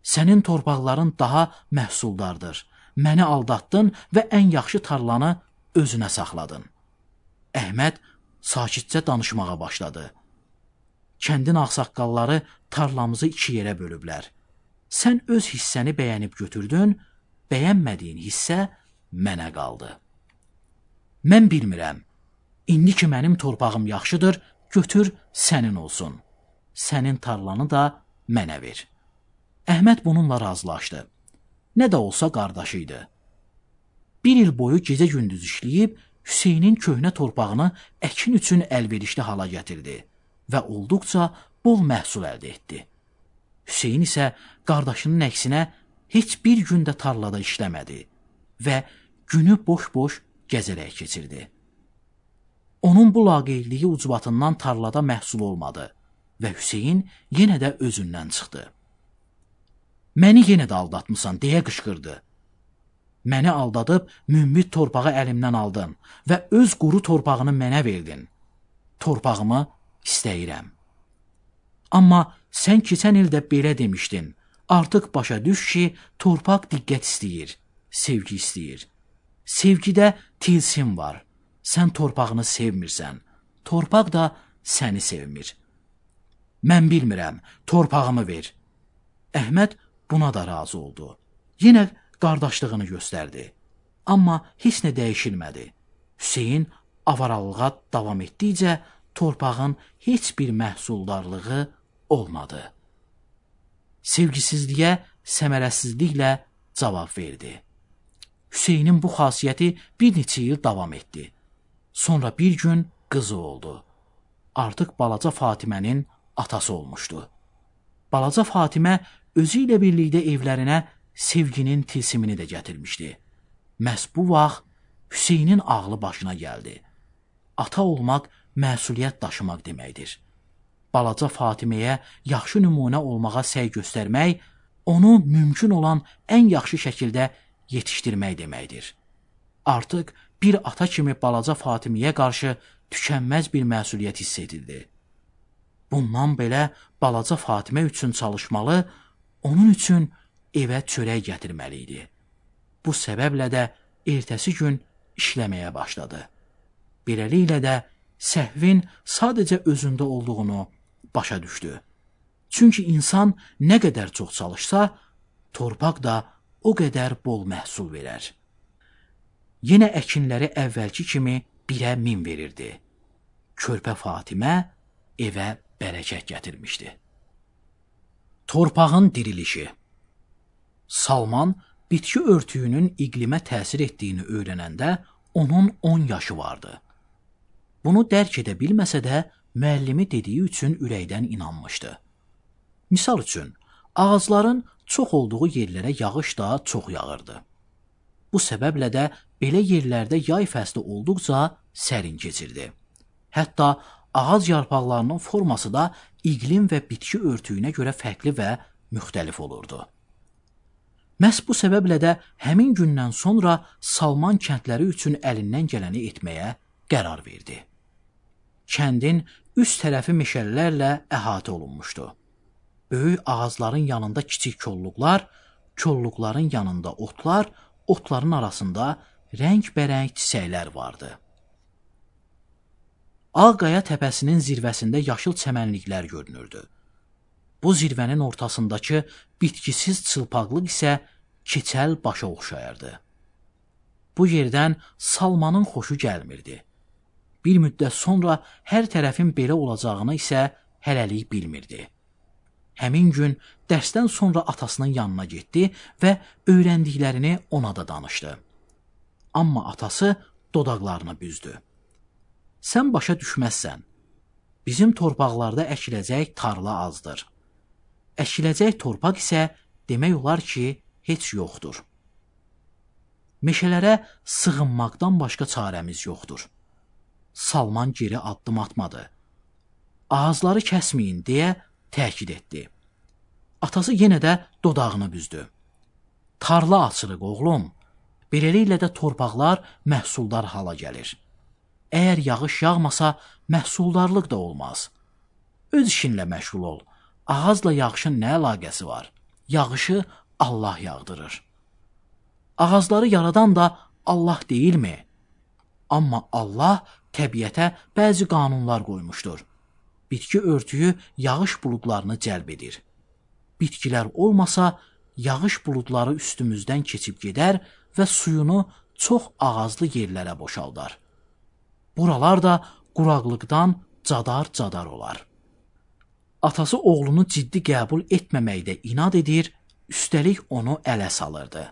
Sənin torpaqların daha məhsuldardır. Məni aldatdın və ən yaxşı tarlanı özünə saxladın. Əhməd sakitcə danışmağa başladı. Kəndin ağsaqqalları tarlamızı 2 yerə bölüblər. Sən öz hissəni bəyənib götürdün, bəyənmədiyin hissə mənə qaldı. Mən bilmirəm, indi ki mənim torpağım yaxşıdır, götür sənin olsun. Sənin tarlanı da mənə ver. Əhməd bununla razılaşdı. Nə də olsa qardaşı idi. 1 il boyu gecə-gündüz işləyib, Hüseynin köhnə torpağını əkin üçün əlverişli hala gətirdi və olduqca bol məhsul əldə etdi. Hüseyn isə qardaşının əksinə heç bir gün də tarlada işləmədi və günü boş-boş gəzərək keçirdi. Onun bu laqeydliyi ucbatından tarlada məhsul olmadı və Hüseyn yenə də özündən çıxdı. Məni yenə də aldatmısan, deyə qışqırdı. Məni aldadıb mümbit torpağı əlimdən aldın və öz quru torpağını mənə verdin. Torpağımı istəyirəm. Amma sən keçən ildə belə demişdin, artıq başa düş ki, torpaq diqqət istəyir, sevgi istəyir. Sevgidə tilsim var. Sən torpağını sevmirsən, torpaq da səni sevmir. Mən bilmirəm, torpağımı ver. Əhməd buna da razı oldu. Yenə qardaşlığını göstərdi. Amma heç nə dəyişilmədi. Hüseyn avaralığa davam etdikcə torpağın heç bir məhsuldarlığı olmadı. Sevgisizliyə səmərəsizliklə cavab verdi. Hüseynin bu xasiyyəti bir neçə il davam etdi. Sonra bir gün qızı oldu. Artıq balaca Fatimənin atası olmuşdu. Balaca Fatimə özü ilə birlikdə evlərinə sevginin tilsimini də gətirmişdi. Məhz bu vaxt Hüseynin ağlı başına gəldi. Ata olmaq məsuliyyət daşımaq deməkdir. Balaca Fatiməyə yaxşı nümunə olmağa səy göstərmək, onu mümkün olan ən yaxşı şəkildə yetişdirmək deməkdir. Artıq bir ata kimi balaca Fatiməyə qarşı tükənməz bir məsuliyyət hiss edildi. Bundan belə balaca Fatimə üçün çalışmalı, onun üçün evə çörək gətirməli idi. Bu səbəblə də ertəsi gün işləməyə başladı. Beləliklə də səhvin sadəcə özündə olduğunu başa düşdü. Çünki insan nə qədər çox çalışsa, torpaq da o qədər bol məhsul verər. Yenə əkinləri əvvəlki kimi 1-ə 1000 verirdi. Körpə Fatimə evə bərəkət gətirmişdi. Torpağın dirilişi. Salman bitki örtüyünün iqlimə təsir etdiyini öyrənəndə onun 10 yaşı vardı. Bunu dərk edə bilməsə də müəllimi dediyi üçün ürəkdən inanmışdı. Misal üçün, ağacların çox olduğu yerlərə yağış da çox yağırdı. Bu səbəblə də belə yerlərdə yay fəsli olduqca sərin keçirdi. Hətta ağac yarpaqlarının forması da iqlim və bitki örtüyünə görə fərqli və müxtəlif olurdu. Məhz bu səbəblə də həmin gündən sonra Salman kəndləri üçün əlindən gələni etməyə qərar verdi. Kəndin üst tərəfi meşələrlə əhatə olunmuşdu. Böyük ağacların yanında kiçik kolluqlar, kolluqların yanında otlar, otların arasında rəngbərəng çiçəklər vardı. Ağqaya təpəsinin zirvəsində yaşıl çəmənliklər görünürdü. Bu zirvənin ortasındakı bitkisiz çılpaqlıq isə keçəl başa oxşayırdı. Bu yerdən Salmanın xoşu gəlmirdi. Bir müddət sonra hər tərəfin belə olacağını isə hələlik bilmirdi. Həmin gün dərsdən sonra atasının yanına getdi və öyrəndiklərini ona da danışdı. Amma atası dodaqlarını büzdü. Sən başa düşməzsən. Bizim torpaqlarda əkiləcək tarla azdır. Əkiləcək torpaq isə demək olar ki, heç yoxdur. Meşələrə sığınmaqdan başqa çarəmiz yoxdur. Salman geri addım atmadı. Ağızları kəsməyin deyə təkid etdi. Atası yenə də dodağını büzdü. Tarla açırıq oğlum. Beləliklə də torpaqlar məhsuldar hala gəlir. Əgər yağış yağmasa, məhsuldarlıq da olmaz. Öz işinlə məşğul ol. Ağacla yağışın nə əlaqəsi var? Yağışı Allah yağdırır. Ağacları yaradan da Allah deyilmi? Amma Allah təbiətə bəzi qanunlar qoymuşdur. Bitki örtüyü yağış buludlarını cəlb edir. Bitkilər olmasa, yağış buludları üstümüzdən keçib gedər və suyunu çox ağazlı yerlərə boşaldar. Buralar da quraqlıqdan cadar-cadar olar. Atası oğlunu ciddi qəbul etməməkdə inad edir, üstəlik onu ələ salırdı.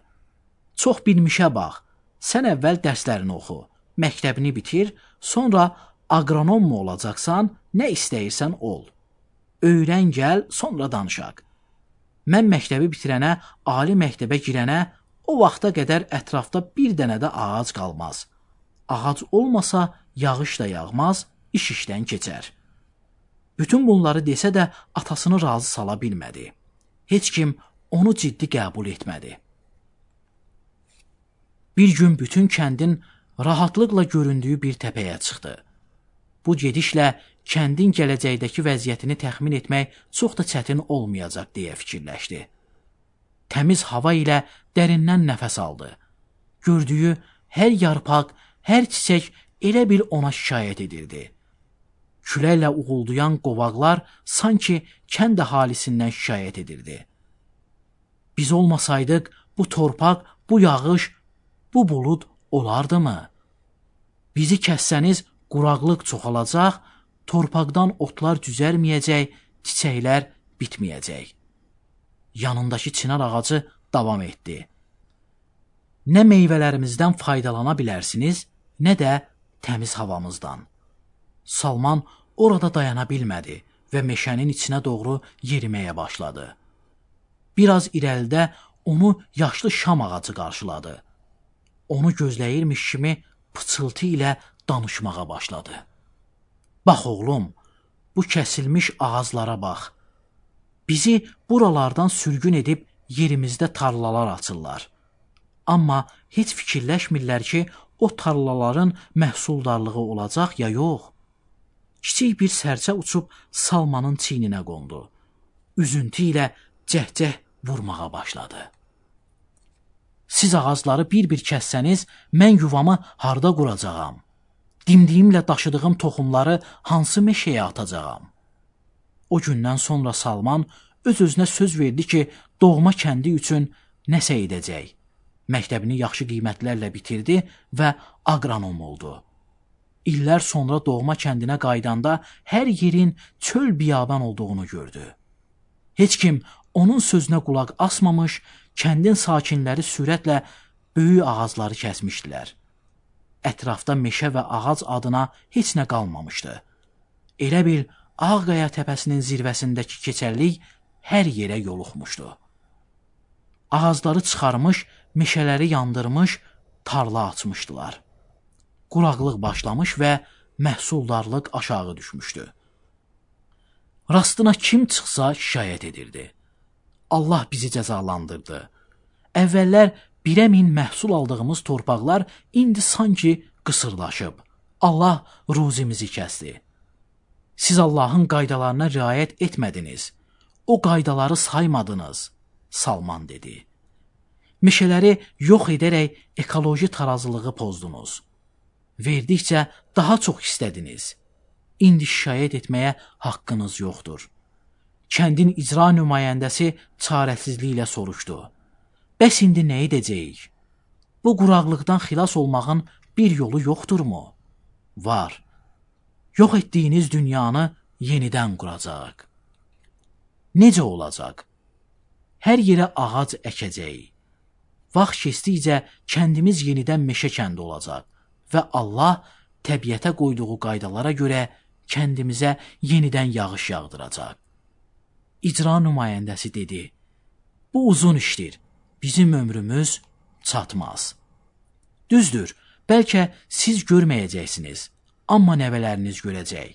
Çox bilmişə bax, sən əvvəl dərslərini oxu, məktəbini bitir, sonra aqronom mu olacaqsan, nə istəyirsən ol. Öyrən gəl, sonra danışaq. Mən məktəbi bitirənə, ali məktəbə girənə, o vaxta qədər ətrafda bir dənə də ağac qalmaz. Ağac olmasa, yağış da yağmaz, iş işdən keçər. Bütün bunları desə də atasını razı sala bilmədi. Heç kim onu ciddi qəbul etmədi. Bir gün bütün kəndin rahatlıqla göründüyü bir təpəyə çıxdı. Bu gedişlə kəndin gələcəkdəki vəziyyətini təxmin etmək çox da çətin olmayacaq deyə fikirləşdi. Təmiz hava ilə dərindən nəfəs aldı. Gördüyü hər yarpaq, hər çiçək elə bil ona şikayət edirdi. Küləklə uğuldayan qovaqlar sanki kənd əhalisindən şikayət edirdi. Biz olmasaydıq, bu torpaq, bu yağış, bu bulud olardımı? Bizi kəssəniz, quraqlıq çoxalacaq, torpaqdan otlar düzərməyəcək, çiçəklər bitməyəcək. Yanındakı çınar ağacı davam etdi. Nə meyvələrimizdən faydalana bilərsiniz, nə də təmiz havamızdan. Salman orada dayana bilmədi və meşənin içinə doğru yeriməyə başladı. Biraz irəlidə onu yaşlı şam ağacı qarşıladı. Onu gözləyirmiş kimi pıçıltı ilə danışmağa başladı. Bax oğlum, bu kəsilmiş ağaclara bax. Bizi buralardan sürgün edib yerimizdə tarlalar açırlar. Amma heç fikirləşmirlər ki, o tarlaların məhsuldarlığı olacaq ya yox. Kiçik bir sərçə uçub Salmanın çiyninə qondu. Üzüntü ilə cəhcəh vurmağa başladı. Siz ağacları bir-bir kəssəniz, mən yuvamı harda quracağam? Dimdiyimlə daşıdığım toxumları hansı meşəyə atacağam? O gündən sonra Salman öz-özünə söz verdi ki, doğma kəndi üçün nəsə edəcək. Məktəbini yaxşı qiymətlərlə bitirdi və aqronom oldu. İllər sonra doğma kəndinə qaydanda hər yerin çöl biyaban olduğunu gördü. Heç kim onun sözünə qulaq asmamış, kəndin sakinləri sürətlə böyük ağacları kəsmişdilər. Ətrafda meşə və ağac adına heç nə qalmamışdı. Elə bil Ağqaya təpəsinin zirvəsindəki keçərlik hər yerə yoluxmuşdu. Ağacları çıxarmış, meşələri yandırmış, tarla açmışdılar. Quraqlıq başlamış və məhsuldarlıq aşağı düşmüşdü. Rastına kim çıxsa şikayət edirdi. Allah bizi cəzalandırdı. Əvvəllər 1000 məhsul aldığımız torpaqlar indi sanki qısırlaşıb. Allah ruzimizi kəsdi. Siz Allahın qaydalarına riayət etmədiniz. O qaydaları saymadınız, Salman dedi. Meşələri yox edərək ekoloji tarazılığı pozdunuz. Verdikcə daha çox istədiniz. İndi şikayət etməyə haqqınız yoxdur. Kəndin icra nümayəndəsi çarəsizliklə soruşdu. Bəs indi nə edəcəyik? Bu quraqlıqdan xilas olmağın bir yolu yoxdurmu? Var. Yox etdiyiniz dünyanı yenidən quracaq. Necə olacaq? Hər yerə ağac əkəcəyik. Vaxt keçdikcə kəndimiz yenidən meşə kəndi olacaq və Allah təbiətə qoyduğu qaydalara görə kəndimizə yenidən yağış yağdıracaq. İcra nümayəndəsi dedi, bu uzun işdir, bizim ömrümüz çatmaz. Düzdür, bəlkə siz görməyəcəksiniz, amma nəvələriniz görəcək.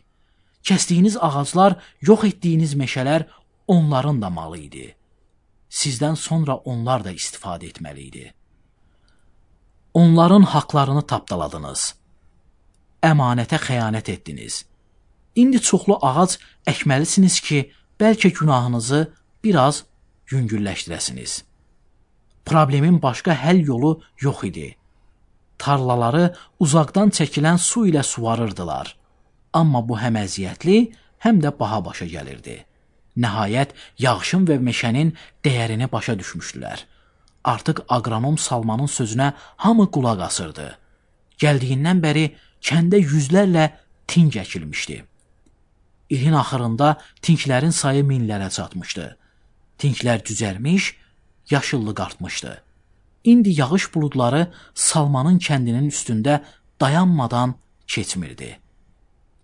Kəsdiyiniz ağaclar, yox etdiyiniz meşələr onların da malı idi. Sizdən sonra onlar da istifadə etməli idi. Onların haqlarını tapdaladınız. Əmanətə xəyanət etdiniz. İndi çoxlu ağac əkməlisiniz ki, bəlkə günahınızı biraz yüngülləşdirəsiniz. Problemin başqa həll yolu yox idi. tarlaları uzaqdan çəkilən su ilə suvarırdılar. Amma bu həm əziyyətli, həm də baha başa gəlirdi. Nəhayət, yağışın və meşənin dəyərini başa düşmüşdülər. Artıq aqronom Salmanın sözünə hamı qulaq asırdı. Gəldiyindən bəri kəndə yüzlərlə tink əkilmişdi. İlin axırında tinklərin sayı minlərə çatmışdı. Tinklər düzəlmiş, yaşıllıq artmışdı. İndi yağış buludları Salmanın kəndinin üstündə dayanmadan keçmirdi.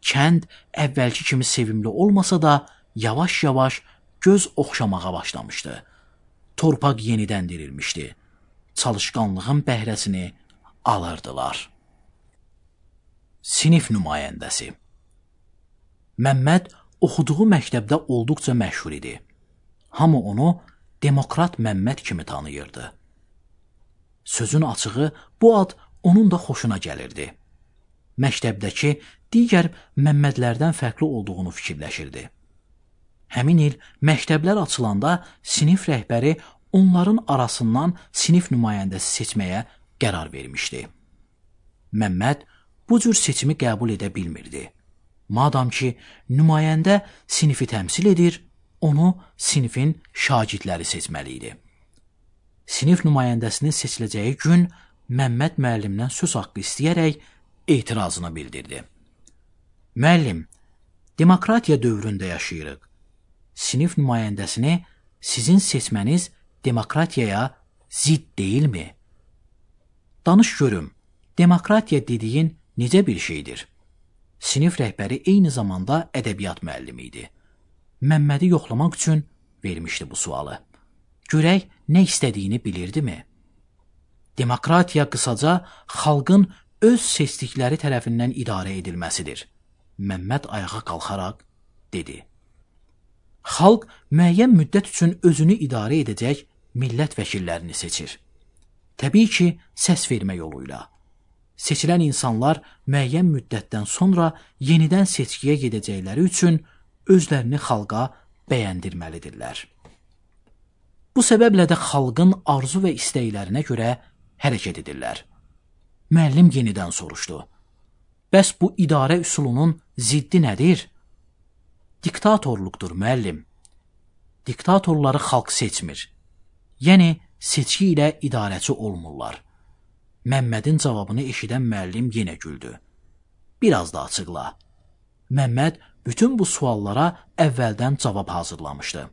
Kənd əvvəlki kimi sevimli olmasa da, yavaş-yavaş göz oxşamağa başlamışdı. Torpaq yenidən dirilmişdi. Çalışqanlığın bəhrəsini alırdılar. Sinif nümayəndəsi Məmməd oxuduğu məktəbdə olduqca məşhur idi. Hamı onu Demokrat Məmməd kimi tanıyırdı. Sözün açığı, bu ad onun da xoşuna gəlirdi. Məktəbdəki digər Məmmədlərdən fərqli olduğunu fikirləşirdi. Həmin il məktəblər açılanda sinif rəhbəri onların arasından sinif nümayəndəsi seçməyə qərar vermişdi. Məmməd bu cür seçimi qəbul edə bilmirdi. Madam ki, nümayəndə sinifi təmsil edir, onu sinifin şagirdləri seçməli idi. Sinif nümayəndəsinin seçiləcəyi gün Məmməd müəllimdən söz haqqı istəyərək etirazını bildirdi. Müəllim, demokratiya dövründə yaşayırıq. Sinif nümayəndəsini sizin seçməniz demokratiyaya zidd deyilmi? Danış görüm, demokratiya dediyin necə bir şeydir? Sinif rəhbəri eyni zamanda ədəbiyyat müəllimi idi. Məmmədi yoxlamaq üçün vermişdi bu sualı. Görək, nə istədiyini bilirdimi? Demokratiya qısaca xalqın öz seçdikləri tərəfindən idarə edilməsidir. Məmməd ayağa qalxaraq dedi. Xalq müəyyən müddət üçün özünü idarə edəcək millət vəkillərini seçir. Təbii ki, səs vermə yoluyla. Seçilən insanlar müəyyən müddətdən sonra yenidən seçkiyə gedəcəkləri üçün özlərini xalqa bəyəndirməlidirlər. Bu səbəblə də xalqın arzu və istəklərinə görə hərəkət edirlər. Müəllim yenidən soruşdu. Bəs bu idarə üsulunun ziddi nədir? Diktatorluqdur, müəllim. Diktatorları xalq seçmir. Yəni, seçki ilə idarəçi olmurlar. Məmmədin cavabını eşidən müəllim yenə güldü. Biraz da açıqla. Məmməd bütün bu suallara əvvəldən cavab hazırlamışdı.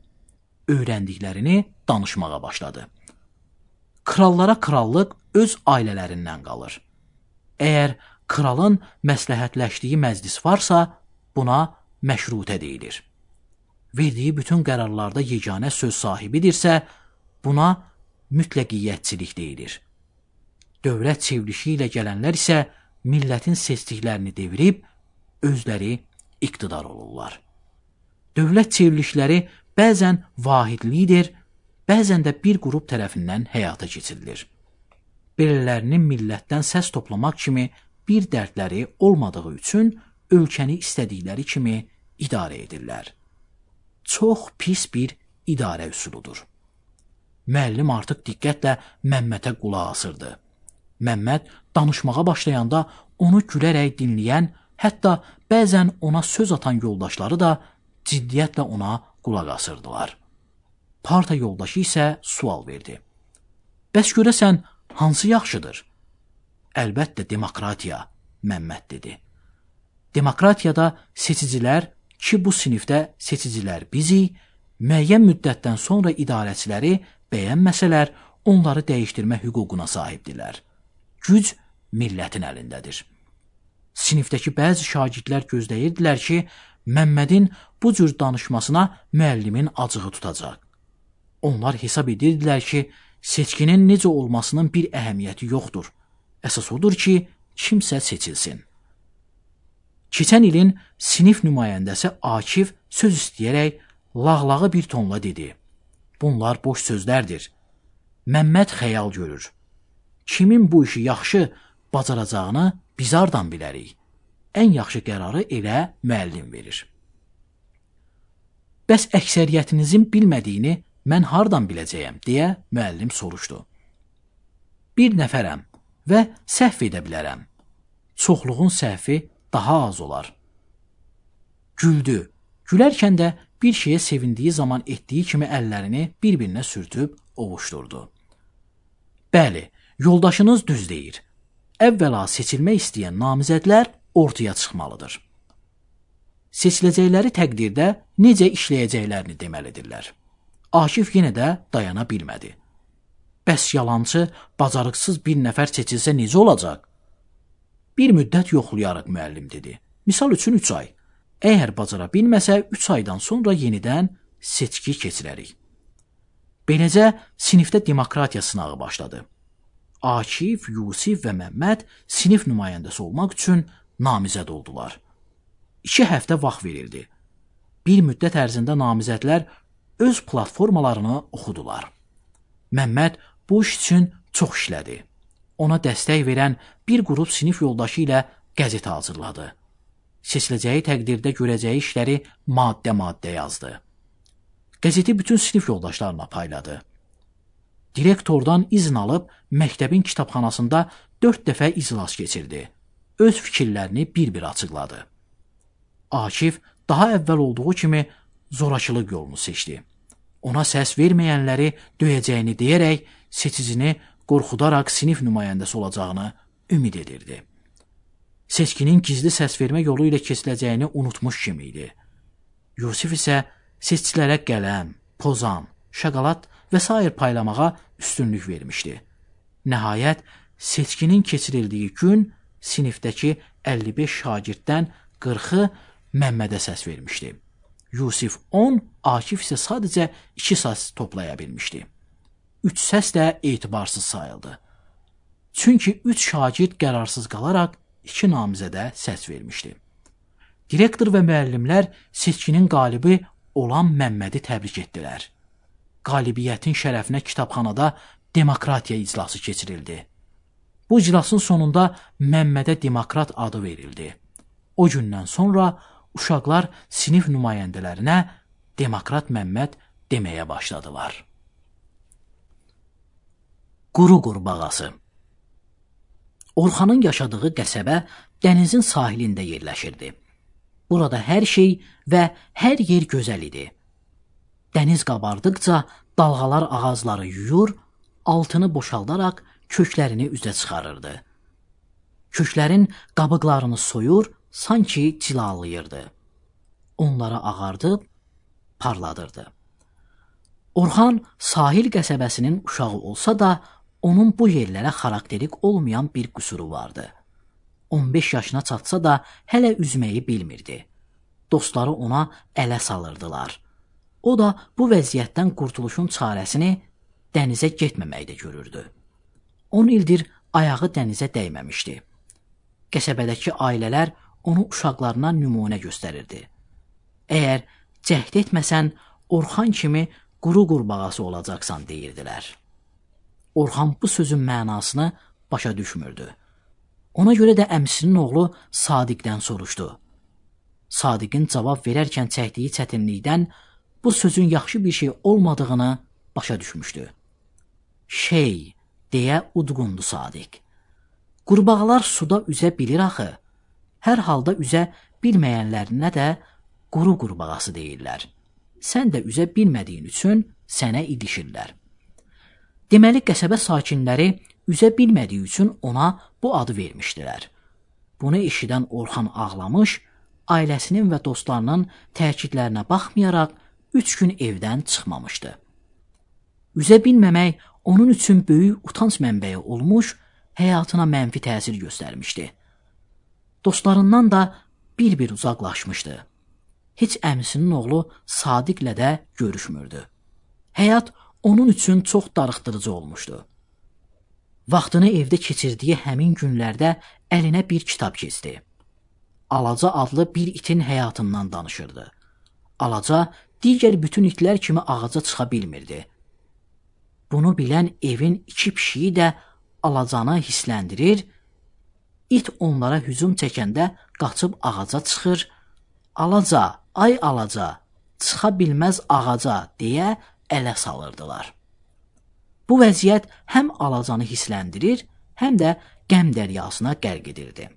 Öyrəndiklərini danışmağa başladı. Krallara krallıq öz ailələrindən qalır. Əgər kralın məsləhətləşdiyi məclis varsa, buna məşrutə deyilir. Verdiyi bütün qərarlarda yeganə söz sahibidirsə, buna mütləqiyyətçilik deyilir. Dövlət çevrilişi ilə gələnlər isə millətin seçdiklərini devirib, özləri iqtidar olurlar. Dövlət çevrilişləri bəzən vahidlidir, bəzən də bir qrup tərəfindən həyata keçirilir. Belələrinin millətdən səs toplamaq kimi bir dərdləri olmadığı üçün ölkəni istədikləri kimi idarə edirlər. Çox pis bir idarə üsuludur. Müəllim artıq diqqətlə Məmmədə qulaq asırdı. Məmməd danışmağa başlayanda onu gülərək dinləyən, hətta bəzən ona söz atan yoldaşları da ciddiyyətlə ona qulaq asırdılar. Parta yoldaşı isə sual verdi. Bəs görəsən, hansı yaxşıdır? Əlbəttə, demokratiya, Məmməd dedi. Demokratiyada seçicilər ki, bu sinifdə seçicilər bizik, müəyyən müddətdən sonra idarəçiləri bəyənməsələr, onları dəyişdirmə hüququna sahibdirlər. Güc millətin əlindədir. Sinifdəki bəzi şagirdlər gözləyirdilər ki, Məmmədin bu cür danışmasına müəllimin acığı tutacaq. Onlar hesab edirdilər ki, seçkinin necə olmasının bir əhəmiyyəti yoxdur. Əsas odur ki, kimsə seçilsin. Keçən ilin sinif nümayəndəsi Akif söz istəyərək lağlağı bir tonla dedi. Bunlar boş sözlərdir. Məmməd xəyal görür. Kimin bu işi yaxşı bacaracağını biz hardan bilərik? Ən yaxşı qərarı elə müəllim verir. Bəs əksəriyyətinizin bilmədiyini mən hardan biləcəyəm, deyə müəllim soruşdu. Bir nəfərəm və səhv edə bilərəm. Çoxluğun səhvi daha az olar. Güldü. Gülərkən də bir şeyə sevindiyi zaman etdiyi kimi əllərini bir-birinə sürtüb ovuşdurdu. Bəli, yoldaşınız düz deyir. Əvvəla seçilmək istəyən namizədlər ortaya çıxmalıdır. Seçiləcəkləri təqdirdə necə işləyəcəklərini deməlidirlər. Akif yenə də dayana bilmədi. Bəs yalançı, bacarıqsız bir nəfər seçilsə necə olacaq? Bir müddət yoxlayarıq, müəllim dedi. Misal üçün 3 ay. Əgər bacara bilməsə 3 aydan sonra yenidən seçki keçirərik. Beləcə sinifdə demokratiya sınağı başladı. Akif, Yusif və Məmməd sinif nümayəndəsi olmaq üçün namizəd oldular. 2 həftə vaxt verildi. Bir müddət ərzində namizədlər öz platformalarını oxudular. Məmməd bu iş üçün çox işlədi. Ona dəstək verən bir qrup sinif yoldaşı ilə qəzet hazırladı. Seçiləcəyi təqdirdə görəcəyi işləri maddə-maddə yazdı. Qəzeti bütün sinif yoldaşlarına payladı. Direktordan izin alıb məktəbin kitabxanasında 4 dəfə iclas keçirdi. Öz fikirlərini bir-bir açıqladı. Akif daha əvvəl olduğu kimi zorakılıq yolunu seçdi. Ona səs verməyənləri döyəcəyini deyərək seçicini qorxudaraq sinif nümayəndəsi olacağını ümid edirdi. Seçkinin gizli səs vermə yolu ilə keçiləcəyini unutmuş kimi idi. Yusif isə seçicilərə qələm, pozan, şokolad və s. paylamağa üstünlük vermişdi. Nəhayət, seçkinin keçirildiyi gün sinifdəki 55 şagirddən 40-ı Məmmədə səs vermişdi. Yusif 10, Akif isə sadəcə 2 səs toplaya bilmişdi. 3 səs də etibarsız sayıldı. Çünki 3 şagird qərarsız qalaraq 2 namizədə səs vermişdi. Direktor və müəllimlər seçkinin qalibi olan Məmmədi təbrik etdilər. Qalibiyyətin şərəfinə kitabxanada demokratiya iclası keçirildi. Bu iclasın sonunda Məmmədə demokrat adı verildi. O gündən sonra uşaqlar sinif nümayəndələrinə demokrat Məmməd deməyə başladılar. Quru qurbağası. Orxanın yaşadığı qəsəbə dənizin sahilində yerləşirdi. Burada hər şey və hər yer gözəl idi. Dəniz qabardıqca dalğalar ağacları yuyur, altını boşaldaraq köklərini üzə çıxarırdı. Köklərin qabıqlarını soyur, sanki cilalayırdı. Onlara ağardıb, parladırdı. Orxan sahil qəsəbəsinin uşağı olsa da, onun bu yerlərə xarakterik olmayan bir qüsuru vardı. 15 yaşına çatsa da hələ üzməyi bilmirdi. Dostları ona ələ salırdılar. O da bu vəziyyətdən qurtuluşun çarəsini dənizə getməməkdə görürdü. 10 ildir ayağı dənizə dəyməmişdi. Qəsəbədəki ailələr onu uşaqlarına nümunə göstərirdi. Əgər cəhd etməsən, Orxan kimi quru qurbağası olacaqsan deyirdilər. Orxan bu sözün mənasını başa düşmürdü. Ona görə də əmsinin oğlu Sadiqdən soruşdu. Sadiqin cavab verərkən çəkdiyi çətinlikdən bu sözün yaxşı bir şey olmadığını başa düşmüşdü. Şey, deyə udqundu Sadiq. Qurbağalar suda üzə bilir axı. Hər halda üzə bilməyənlərinə də quru qurbağası deyirlər. Sən də üzə bilmədiyin üçün sənə ilişirlər. Deməli, qəsəbə sakinləri üzə bilmədiyi üçün ona bu adı vermişdilər. Bunu eşidən Orxan ağlamış, ailəsinin və dostlarının təkidlərinə baxmayaraq 3 gün evdən çıxmamışdı. Üzə bilməmək onun üçün böyük utanc mənbəyi olmuş, həyatına mənfi təsir göstərmişdi. Dostlarından da bir-bir uzaqlaşmışdı. Heç əmisinin oğlu Sadiqlə də görüşmürdü. Həyat onun üçün çox darıxdırıcı olmuşdu. Vaxtını evdə keçirdiyi həmin günlərdə əlinə bir kitab keçdi. Alaca adlı bir itin həyatından danışırdı. Alaca digər bütün itlər kimi ağaca çıxa bilmirdi. Bunu bilən evin 2 pişiyi də Alacanı hisləndirir, it onlara hücum çəkəndə qaçıb ağaca çıxır, Alaca, ay Alaca, çıxa bilməz ağaca deyə ələ salırdılar. Bu vəziyyət həm Alacanı hisləndirir, həm də qəm dəryasına qərq edirdi.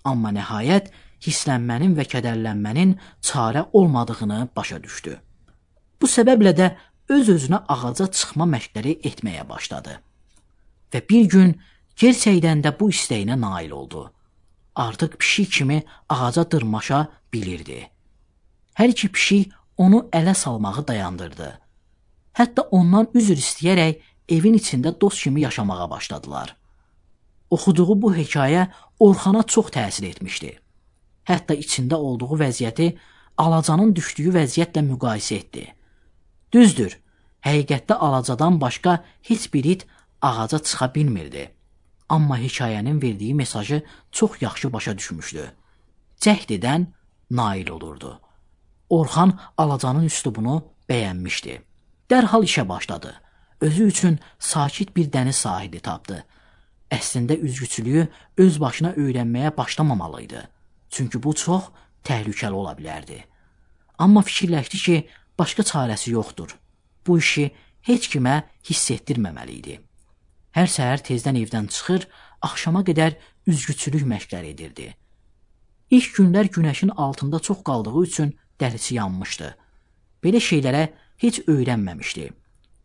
Amma nəhayət hisslənmənin və kədərlənmənin çarə olmadığını başa düşdü. Bu səbəblə də öz-özünə ağaca çıxma məşqləri etməyə başladı. Və bir gün gerçəkdən də bu istəyinə nail oldu. Artıq pişik kimi ağaca dırmaşa bilirdi. Hər iki pişik onu ələ salmağı dayandırdı. Hətta ondan üzr istəyərək evin içində dost kimi yaşamağa başladılar. Oxuduğu bu hekayə Orxana çox təsir etmişdi. Hətta içində olduğu vəziyyəti Alacanın düşdüyü vəziyyətlə müqayisə etdi. Düzdür, həqiqətdə Alacadan başqa heç bir it ağaca çıxa bilmirdi. Amma hekayənin verdiyi mesajı çox yaxşı başa düşmüşdü. Cəhd edən nail olurdu. Orxan Alacanın üslubunu bəyənmişdi. Dərhal işə başladı. Özü üçün sakit bir dəniz sahili tapdı. Əslində üzgüçülüyü öz başına öyrənməyə başlamamalıydı. Çünki bu çox təhlükəli ola bilərdi. Amma fikirləşdi ki, başqa çarəsi yoxdur. Bu işi heç kimə hiss etdirməməli idi. Hər səhər tezdən evdən çıxır, axşama qədər üzgüçülük məşqləri edirdi. İlk günlər günəşin altında çox qaldığı üçün dərisi yanmışdı. Belə şeylərə heç öyrənməmişdi.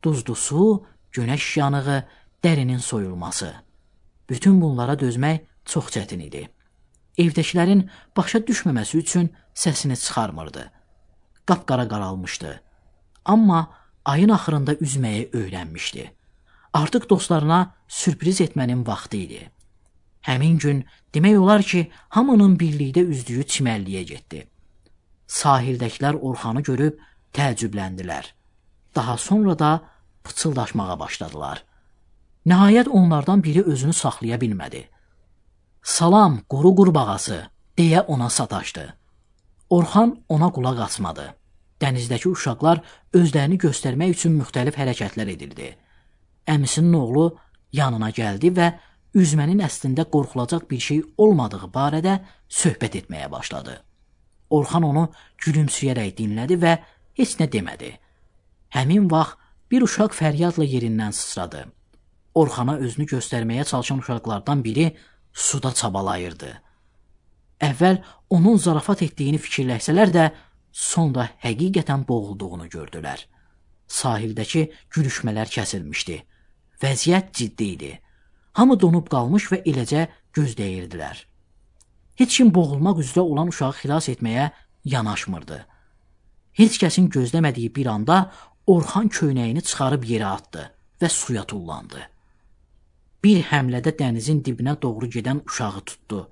Duzlu su, günəş yanığı, dərinin soyulması. Bütün bunlara dözmək çox çətin idi. Evdəkilərin başa düşməməsi üçün səsini çıxarmırdı. Qapqara qaralmışdı. Amma ayın axırında üzməyi öyrənmişdi. Artıq dostlarına sürpriz etmənin vaxtı idi. Həmin gün demək olar ki, hamının birlikdə üzdüyü çimərliyə getdi. Sahildəkilər Orxanı görüb təəccübləndilər. Daha sonra da pıçıldaşmağa başladılar. Nəhayət onlardan biri özünü saxlaya bilmədi. "Salam, quru qurbağası," deyə ona sataşdı. Orxan ona qulaq asmadı. Dənizdəki uşaqlar özlərini göstərmək üçün müxtəlif hərəkətlər edirdi. Əmisinin oğlu yanına gəldi və üzmənin əslində qorxulacaq bir şey olmadığı barədə söhbət etməyə başladı. Orxan onu gülümsəyərək dinlədi və heç nə demədi. Həmin vaxt bir uşaq fəryadla yerindən sıçradı. Orxana özünü göstərməyə çalışan uşaqlardan biri suda çabalayırdı. Əvvəl onun zarafat etdiyini fikirləşsələr də, sonra həqiqətən boğulduğunu gördülər. Sahildəki gülüşmələr kəsilmişdi. Vəziyyət ciddi idi. Hamı donub qalmış və eləcə gözləyirdilər. Heç kim boğulmaq üzrə olan uşağı xilas etməyə yanaşmırdı. Heç kəsin gözləmədiyi bir anda Orxan köynəyini çıxarıb yerə atdı və suya tullandı. Bir həmlədə dənizin dibinə doğru gedən uşağı tutdu.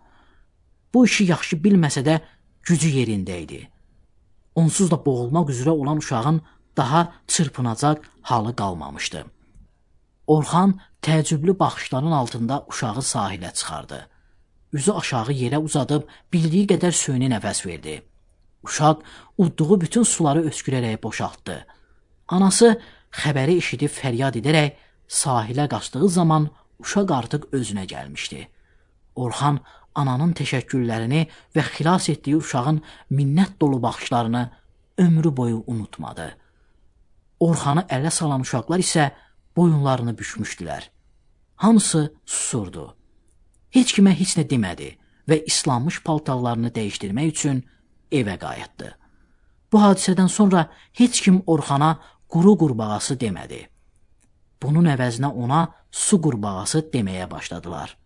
Bu işi yaxşı bilməsə də gücü yerində idi. Onsuz da boğulmaq üzrə olan uşağın daha çırpınacaq halı qalmamışdı. Orxan təəccüblü baxışların altında uşağı sahilə çıxardı. Üzü aşağı yerə uzadıb bildiyi qədər süni nəfəs verdi. Uşaq udduğu bütün suları öskürərək boşaltdı. Anası xəbəri eşidib fəryad edərək sahilə qaçdığı zaman uşaq artıq özünə gəlmişdi. Orxan ananın təşəkkürlərini və xilas etdiyi uşağın minnət dolu baxışlarını ömrü boyu unutmadı. Orxanı ələ salan uşaqlar isə boyunlarını bükmüşdülər. Hamısı susurdu. Heç kimə heç nə demədi və islanmış paltarlarını dəyişdirmək üçün evə qayıtdı. Bu hadisədən sonra heç kim Orxana quru qurbağası demədi. Bunun əvəzinə ona su qurbağası deməyə başladılar.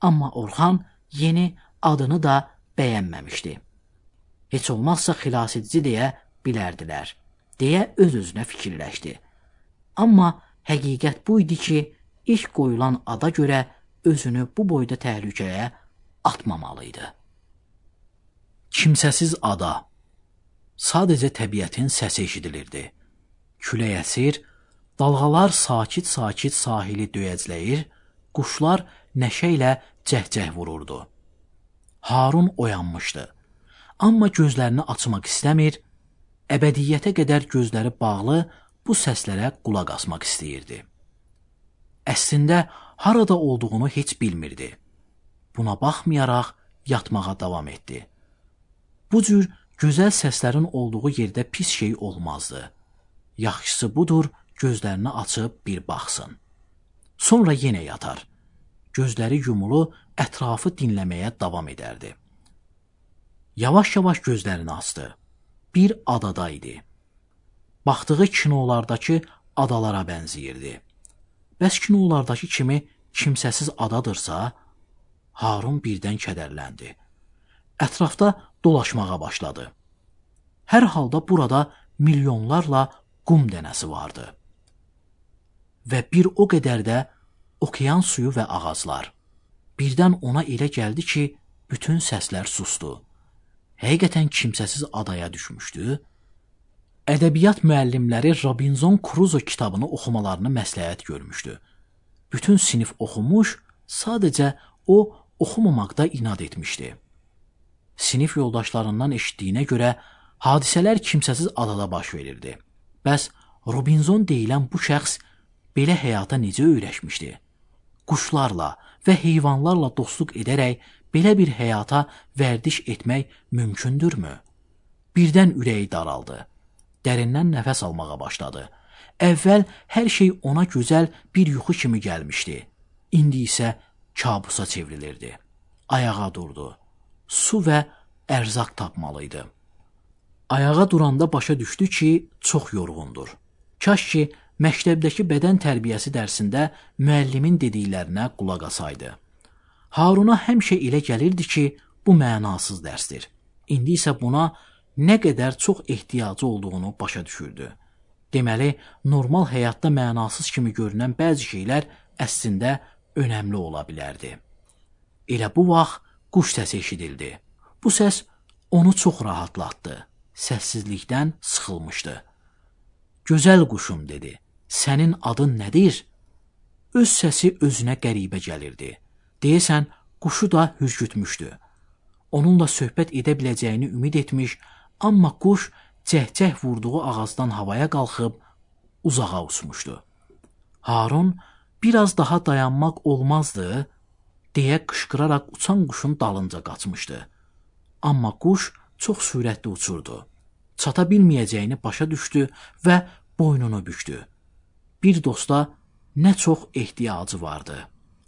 Amma Orxan yeni adını da bəyənməmişdi. Heç olmazsa xilasedici deyə bilərdilər, deyə öz-özünə fikirləşdi. Amma həqiqət bu idi ki, ilk qoyulan ada görə özünü bu boyda təhlükəyə atmamalıydı. Kimsəsiz ada. Sadəcə təbiətin səsi eşidilirdi. Külək əsir, dalğalar sakit-sakit sahili döyəcləyir, quşlar nəşə ilə cəhcəh vururdu. Harun oyanmışdı. Amma gözlərini açmaq istəmir, əbədiyyətə qədər gözləri bağlı bu səslərə qulaq asmaq istəyirdi. Əslində, harada olduğunu heç bilmirdi. Buna baxmayaraq yatmağa davam etdi. Bu cür gözəl səslərin olduğu yerdə pis şey olmazdı. Yaxşısı budur, gözlərini açıb bir baxsın. Sonra yenə yatar. gözləri yumulu ətrafı dinləməyə davam edərdi. Yavaş-yavaş gözlərini açdı. Bir adada idi. Baxdığı kinolardakı adalara bənzəyirdi. Bəs kinolardakı kimi kimsəsiz adadırsa, Harun birdən kədərləndi. Ətrafda dolaşmağa başladı. Hər halda burada milyonlarla qum dənəsi vardı. Və bir o qədər də okean suyu və ağaclar. Birdən ona elə gəldi ki, bütün səslər sustu. Həqiqətən kimsəsiz adaya düşmüşdü. Ədəbiyyat müəllimləri Robinson Crusoe kitabını oxumalarını məsləhət görmüşdü. Bütün sinif oxumuş, sadəcə o oxumamaqda inad etmişdi. Sinif yoldaşlarından eşitdiyinə görə hadisələr kimsəsiz adada baş verirdi. Bəs Robinson deyilən bu şəxs belə həyata necə öyrəşmişdi? Quşlarla və heyvanlarla dostluq edərək belə bir həyata vərdiş etmək mümkündürmü? Birdən ürəyi daraldı. Dərindən nəfəs almağa başladı. Əvvəl hər şey ona gözəl bir yuxu kimi gəlmişdi. İndi isə kabusa çevrilirdi. Ayağa durdu. Su və ərzaq tapmalıydı. Ayağa duranda başa düşdü ki, çox yorğundur. Kaş ki, məktəbdəki bədən tərbiyəsi dərsində müəllimin dediklərinə qulaq asaydı. Haruna həmişə elə gəlirdi ki, bu mənasız dərsdir. İndi isə buna nə qədər çox ehtiyacı olduğunu başa düşürdü. Deməli, normal həyatda mənasız kimi görünən bəzi şeylər əslində önəmli ola bilərdi. Elə bu vaxt quş səsi eşidildi. Bu səs onu çox rahatlatdı. Səssizlikdən sıxılmışdı. Gözəl quşum dedi. Sənin adın nədir? Öz səsi özünə qəribə gəlirdi. Deyəsən, quşu da hürkütmüşdü. Onunla söhbət edə biləcəyini ümid etmiş, amma quş cəhcəh vurduğu ağacdan havaya qalxıb uzağa uçmuşdu. Harun biraz daha dayanmaq olmazdı, deyə qışqıraraq uçan quşun dalınca qaçmışdı. Amma quş çox sürətli uçurdu. Çata bilməyəcəyini başa düşdü və boynunu bükdü. Bir dosta nə çox ehtiyacı vardı.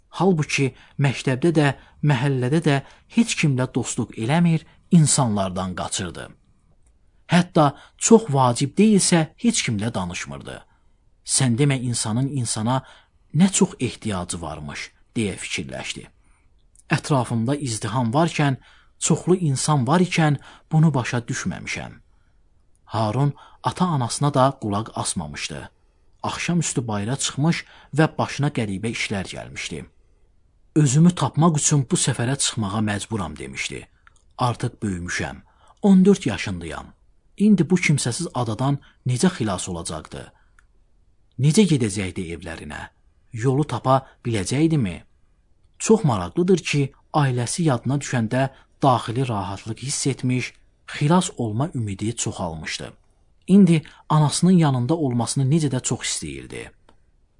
Halbuki məktəbdə də, məhəllədə də heç kimlə dostluq eləmir, insanlardan qaçırdı. Hətta çox vacib deyilsə heç kimlə danışmırdı. Sən demə insanın insana nə çox ehtiyacı varmış, deyə fikirləşdi. Ətrafımda izdiham varkən, çoxlu insan var ikən bunu başa düşməmişəm. Harun ata-anasına da qulaq asmamışdı. Axşamüstü bayıra çıxmış və başına qəribə işlər gəlmişdi. Özümü tapmaq üçün bu səfərə çıxmağa məcburam demişdi. Artıq böyümüşəm, 14 yaşındayam. İndi bu kimsəsiz adadan necə xilas olacaqdı? Necə gedəcəkdi evlərinə? Yolu tapa biləcəkdimi? Çox maraqlıdır ki, ailəsi yadına düşəndə daxili rahatlıq hiss etmiş, xilas olma ümidi çoxalmışdı. İndi anasının yanında olmasını necə də çox istəyirdi.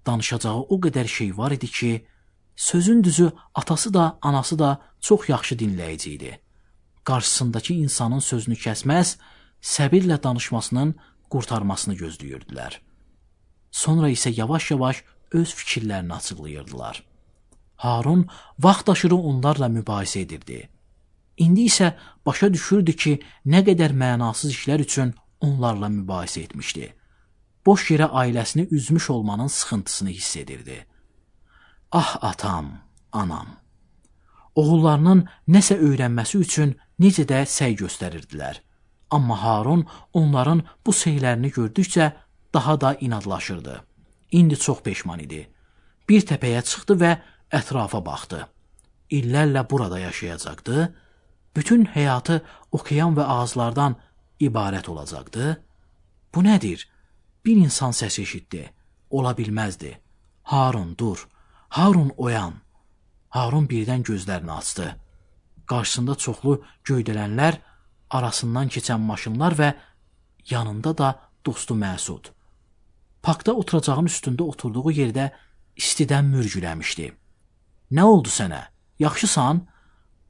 Danışacağı o qədər şey var idi ki, sözün düzü atası da, anası da çox yaxşı dinləyici idi. Qarşısındakı insanın sözünü kəsməz, səbirlə danışmasının qurtarmasını gözləyirdilər. Sonra isə yavaş-yavaş öz fikirlərini açıqlayırdılar. Harun vaxt aşırı onlarla mübahisə edirdi. İndi isə başa düşürdü ki, nə qədər mənasız işlər üçün onlarla mübahisə etmişdi. Boş yerə ailəsini üzmüş olmanın sıxıntısını hiss edirdi. Ah atam, anam. Oğullarının nəsə öyrənməsi üçün necə də səy göstərirdilər. Amma Harun onların bu səylərini gördükcə daha da inadlaşırdı. İndi çox peşman idi. Bir təpəyə çıxdı və ətrafa baxdı. İllərlə burada yaşayacaqdı. Bütün həyatı okean və ağaclardan ibarət olacaqdı. Bu nədir? Bir insan səsi eşitdi. Ola bilməzdi. Harun, dur. Harun, oyan. Harun birdən gözlərini açdı. Qarşısında çoxlu göydələnlər, arasından keçən maşınlar və yanında da dostu Məsud. Parkda oturacağın üstündə oturduğu yerdə istidən mürgüləmişdi. Nə oldu sənə? Yaxşısan?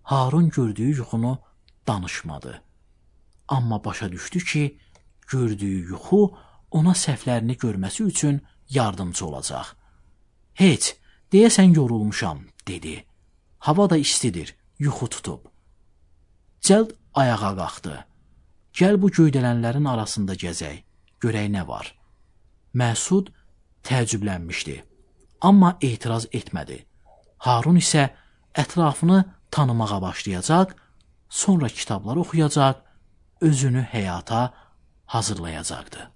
Harun gördüyü yuxunu danışmadı. Amma başa düşdü ki, gördüyü yuxu ona səhvlərini görməsi üçün yardımcı olacaq. Heç, deyəsən yorulmuşam, dedi. Hava da istidir, yuxu tutub. Cəld ayağa qalxdı. Gəl bu göydələnlərin arasında gəzək, görək nə var. Məsud təəccüblənmişdi, amma etiraz etmədi. Harun isə ətrafını tanımağa başlayacaq, sonra kitablar oxuyacaq, özünü həyata hazırlayacaqdı.